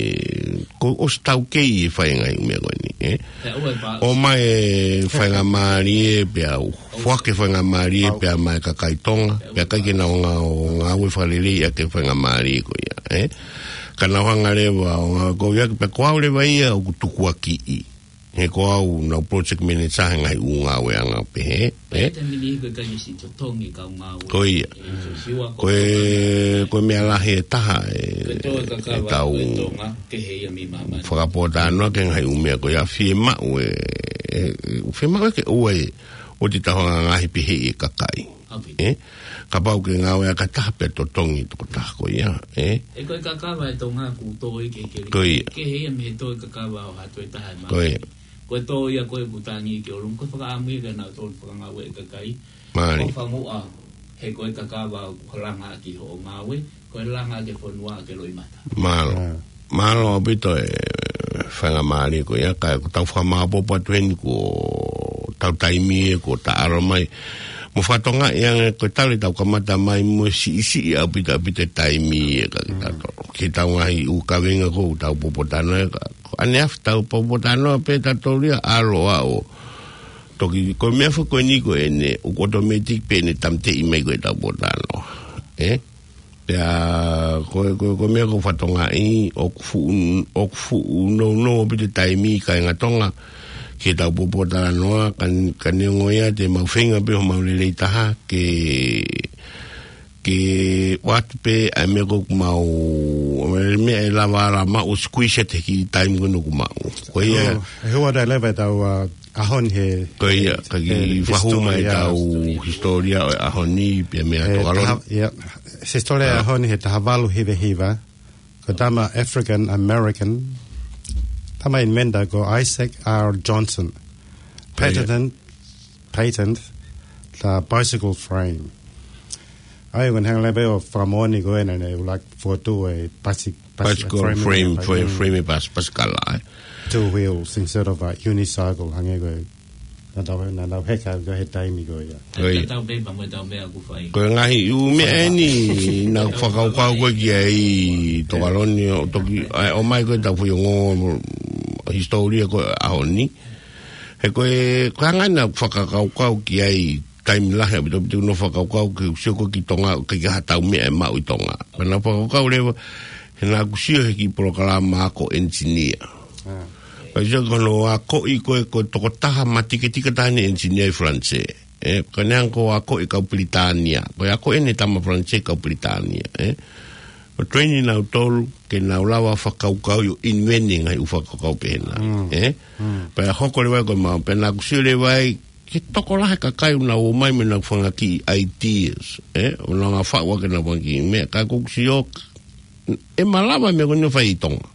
ko e ʻosi taukei e fai e ngaahi meʻa ko eni, ʻe. Pea ʻoua e pa- ʻOmai e faingamālie pea u. Foaki e faingamālie pea maʻa e kakai Tonga, pea ʻikai ke nau ngā-, ngāue fakalelei ʻaki e faingamālie ko ia, ʻe. Ka nau hanga leva ʻo ngāue ko ia, pea ko au leva ia ʻoku tukuakiʻi. He ko au naʻa ku project manager he ngaahi ʻū ngāueʻanga pehē, ʻe. Pea te mini ko e kai si totongi kau ngāue. Ko ia. ʻE, so siwa Ko e, ko e meʻa lahi ʻe taha, ʻe, Ko e tō e kakava, ʻetau ko e Tonga, kehe ia mei māmani. Fakapōtalanoa ki he ngaahi ʻū meʻa ko ia fiemaʻu ʻe, ʻe, fiemaʻu ʻe ke ʻoua ʻe, ʻoua te tau hanga ngaahi pehē ʻe kakai. ʻApē. ʻE? Kapau ke ngāue ʻa e kakai taha pea totongi tokotaha ko ia, ʻe? ʻE ko e kakava ʻe Tonga ʻoku tō ia ke, ke, Ko ia. Kehe ia mei he tō e kakava ʻo ha toe taha ʻe māmani. Ko ia. Ko e tō ia ko ē ʻoku tangi ki ʻolunga, ko e fakaʻamu ia ke nau tō fakangāue e kakai. Mālie. Ko fanguʻa, he ko e kakava ʻoku langa ki hoʻo ngāue, ko e langa ki he fonua ke loʻimata. Mālō. Mālō ʻaupito e faingamālie ko ia, ka ʻoku tau fakamāʻopoʻopo atu heni ko ʻetau taimi ʻe ko ta aro mai. Mo fakatonga ia ko e tali tau kamata mai mo siʻisiʻi ʻaupito ʻaupito e taimi ʻe ka kita to. Ki tau ngaahi ʻū kaveinga ko tau pōpōtalanoa ka. Ko ʻaneafi tau pōpōtalanoa pē tautolu ia ʻalu ʻo Toki, ko e meʻa foki ko eni ko ʻene, ʻoku automatic pē ʻene tamteʻi mai ko ʻetau pōtalanoa. ʻE? Pea, ko, ko, ko e meʻa ko e fakatonga ʻi, ʻoku fuʻu, ʻoku fuʻu nounou ʻaupito e taimi kāinga Tonga, ke tau pōpōtalanoa, ka, ka neongo ia te mau feinga pē homau lelei taha, ke, ke ʻoatu pē ʻa e meʻa ko ʻoku mau, ʻa e meʻa ʻe lava ala mau squeeze ʻa e kiʻi taimi ko eni ʻoku mau. Ko ia. ʻE hua dai leva ʻetau, uh, ʻaho ni he, Ko ia, he, ka kiʻi he fakahū mai hisitōlia. ʻEtau hisitōlia ʻo e ʻaho ni, pea meʻa He Tokaloni. taha, ia, hisitōlia ʻAho ni he taha valu hiva hiva. Ko e tama African American. Tama inventor ko Isaac R Johnson. Ko ia. Patented patent the bicycle frame. ʻA ia, ko e hanga leva ʻo fakamoʻoni ko ē naʻa ne ʻuluaki fokotuʻu e pasi-, pasi-, Bicycle frame, frame, frame, frame e pas-, pasikala, ʻe. Two wheels instead of a unicycle, hangē ko e naʻa tau, naʻa tau heka ko ē he taimi ko ia. Ko ia. Tatau pē pea mo ʻetau meʻa ʻoku fai. Ko e ngaahi ʻū meʻa eni naʻa ku fakakaukau ko ē ki ai Tokaloni ʻo toki, ʻa, ʻomai ko ʻetau foʻi ongo hisitōlia ko ē ʻaho ni. He ko e, ko e anga naʻa ku fakakaukau ki ai, taimi lahi ʻaupito ʻaupito ʻeku nofo fakakaukau ke u sio ko ē ki Tonga, ʻoku ʻikai ke ʻi ai haʻatau meʻa ʻe maʻu ʻi Tonga. Pea naʻa ku fakakaukau leva, he naʻa ku sio he kiʻi polokalama ako engineer. Ah. ʻOsi ko hono akoʻi ko e, ko e tokotaha matiketika taha ʻeni ʻenisinia ʻi Falanisē. ʻE, ko ʻene hanga ʻo akoʻi kau Pilitānia. Ko e akoʻi ʻeni ʻe he tama Falanisē kau Pilitānia. ʻE, ʻo train nautolu ke nau lava fakakaukauʻi ʻo invent e ngaahi ʻū fakakaukau pehē na. Mm. ʻE? Mm. Pea hoko leva ko e mau, pea naʻá ku sio leva ai, ke tokolahi e kakai ʻoku nau ō mai mo ʻenau fanga kiʻi ideas. ʻE? ʻO nau hanga ʻo faʻu ʻaki ʻenau fanga kiʻi meʻa, ka ʻoku ou sio, ʻe malava e meʻa ko ʻeni ʻo fai ʻi Tonga.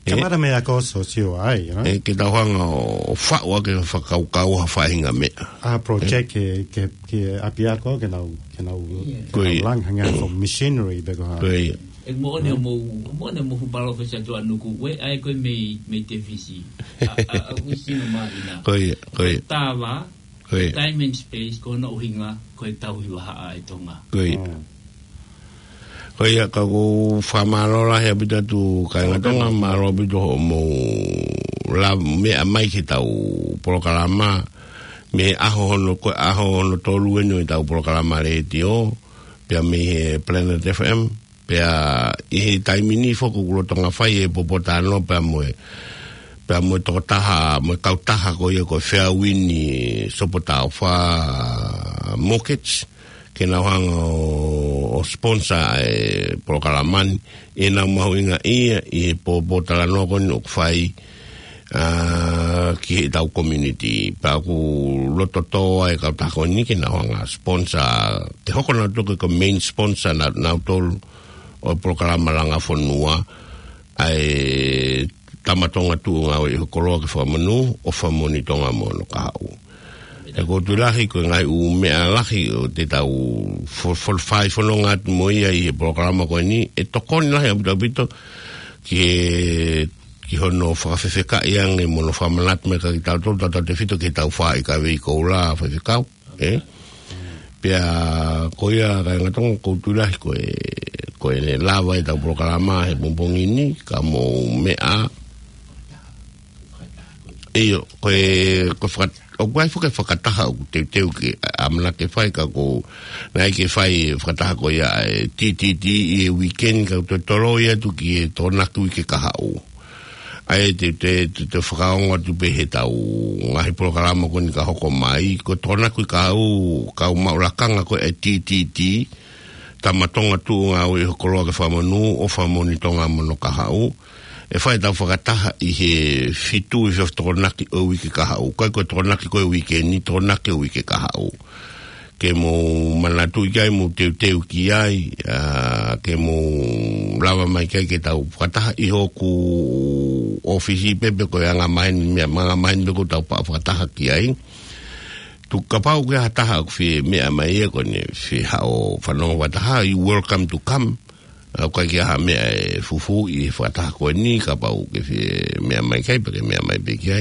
ʻE? Kamata mei he ako sōsiale ai, you know? ʻE, ke tau hanga ʻo faʻu ʻaki e fakakaukau ha faʻahinga meʻa. ʻA e project ke, ke, ke ʻapiako, ke nau, ke nau, ke Ko ia. nau langa hangē ha machinery, pe ko ha. Ko ia. ʻE moʻoni ʻo mou, moʻoni ʻo mou hu Palōfesa Tuʻanuku, ʻoku ʻai ko ē mei, mei Tefisi. ʻA, ʻa, ʻa, ʻoku sino māhina. Ko ia, ko ia. Tava, Ko ia. Time and space, ko hono ʻuhinga, ko e tauhi vahaʻa ʻa e Tonga. Ko ia. Mm. Ko ia, ka ʻoku ou fakamālō lahi ʻaupito atu kāinga Tonga, mālō ʻaupito hoʻomou lava meʻa mai ki heʻetau polokalama, mei he ʻaho hono, ko e ʻaho hono tolu ʻeni ʻo ʻetau polokalama letiō, pea mei he Planet F M, pea ʻi he taimi ni foki ʻoku lolotonga fai e pōpōtalanoa pea mo e, pea mo e tokotaha, mo e kautaha ko ia ko e Feauini Sopotaofa Mortgage, ke nau hanga ʻo, ʻo sponsor e polokalama ni, ʻi heʻenau mahuʻingaʻia ʻi he pōpōtalanoa ko ʻeni ʻoku fai, ʻa, ki heʻetau community. Pea ʻoku loto tō ai e kautaha ko ʻeni ke nau hanga ʻo sponsor, ke hoko nautolu ko e main sponsor na, nautolu ʻo e polokalama langa fonua, ʻa e Tama Tonga Tuʻu Ngāue ʻi ho Koloa ke Fakamonū, ʻOfa Moʻoni Tonga mo Hono Kahaʻu. ʻE, ʻoku ou tui lahi ko e ngaahi ʻū meʻa lahi ʻoku te tau fo-, fo-, fai fononga atu mo ia ʻi he polokalama ko ʻeni, ʻe tokoni lahi ʻaupito ʻaupito ki he, ki hono fakafefekaʻi ange mo hono fakamanatu mai kia kitautolu, tautautefito ki heʻetau fāʻi kavei koula faifekau. ʻE? Pea ko ia kāinga Tonga, ʻoku ou tui lahi ko e, ko ʻene lava ʻetau polokalama he pongipongi ni, ka mou meʻa. ʻIo, ko e, ko e faka-, ʻoku ʻi ai foki e fakataha ʻoku teuteu ke ʻamanaki ke fai, ka ʻoku, naʻe ʻikai ke fai e fakataha ko ia ʻa e T T T ʻi he weekend, ka ʻoku toe toloi atu ki he Tokonaki uike kahaʻu. ʻA ia te, te, te, te fakaongo atu pē heʻetau ngaahi polokalama ko ʻeni ka hoko mai, ko e Tokonaki uike kahaʻu, kau maʻu lakanga ko e T T T, Tama Tonga Tuʻu Ngāue ʻi ho Koloa ke Fakamonū, ʻOfa Moʻoni Tonga mo Hono Kahaʻu. ʻE fai ʻetau fakataha ʻi he fitu ʻi he efiafi Tokonaki ʻo e uike kahaʻu. Ko e, ko e Tokonaki ko e weekend ni, Tokonaki ʻo e uike kahaʻu. Ke mou manatuʻi ki ai, mou teuteu ki ai, ʻa, ke mou lava mai ki ai ke tau fakataha ʻi hoku ʻōfisi pē pe ko e anga maheni, meʻa anga maheni pē ʻoku tau pa-, fakataha ki ai. Tuku kapau ʻoku ʻi ai ha taha ʻoku fie meʻa mai ia ko ʻene fie haʻu ʻo fanongo fakataha, you welcome to come. ʻOku ʻikai ke ʻi ai ha meʻa ʻe fufū ʻi he fakataha ko ʻeni, kapau ʻoku ke fie meʻa mai ki ai, pea ke meʻa mai pē ki ai.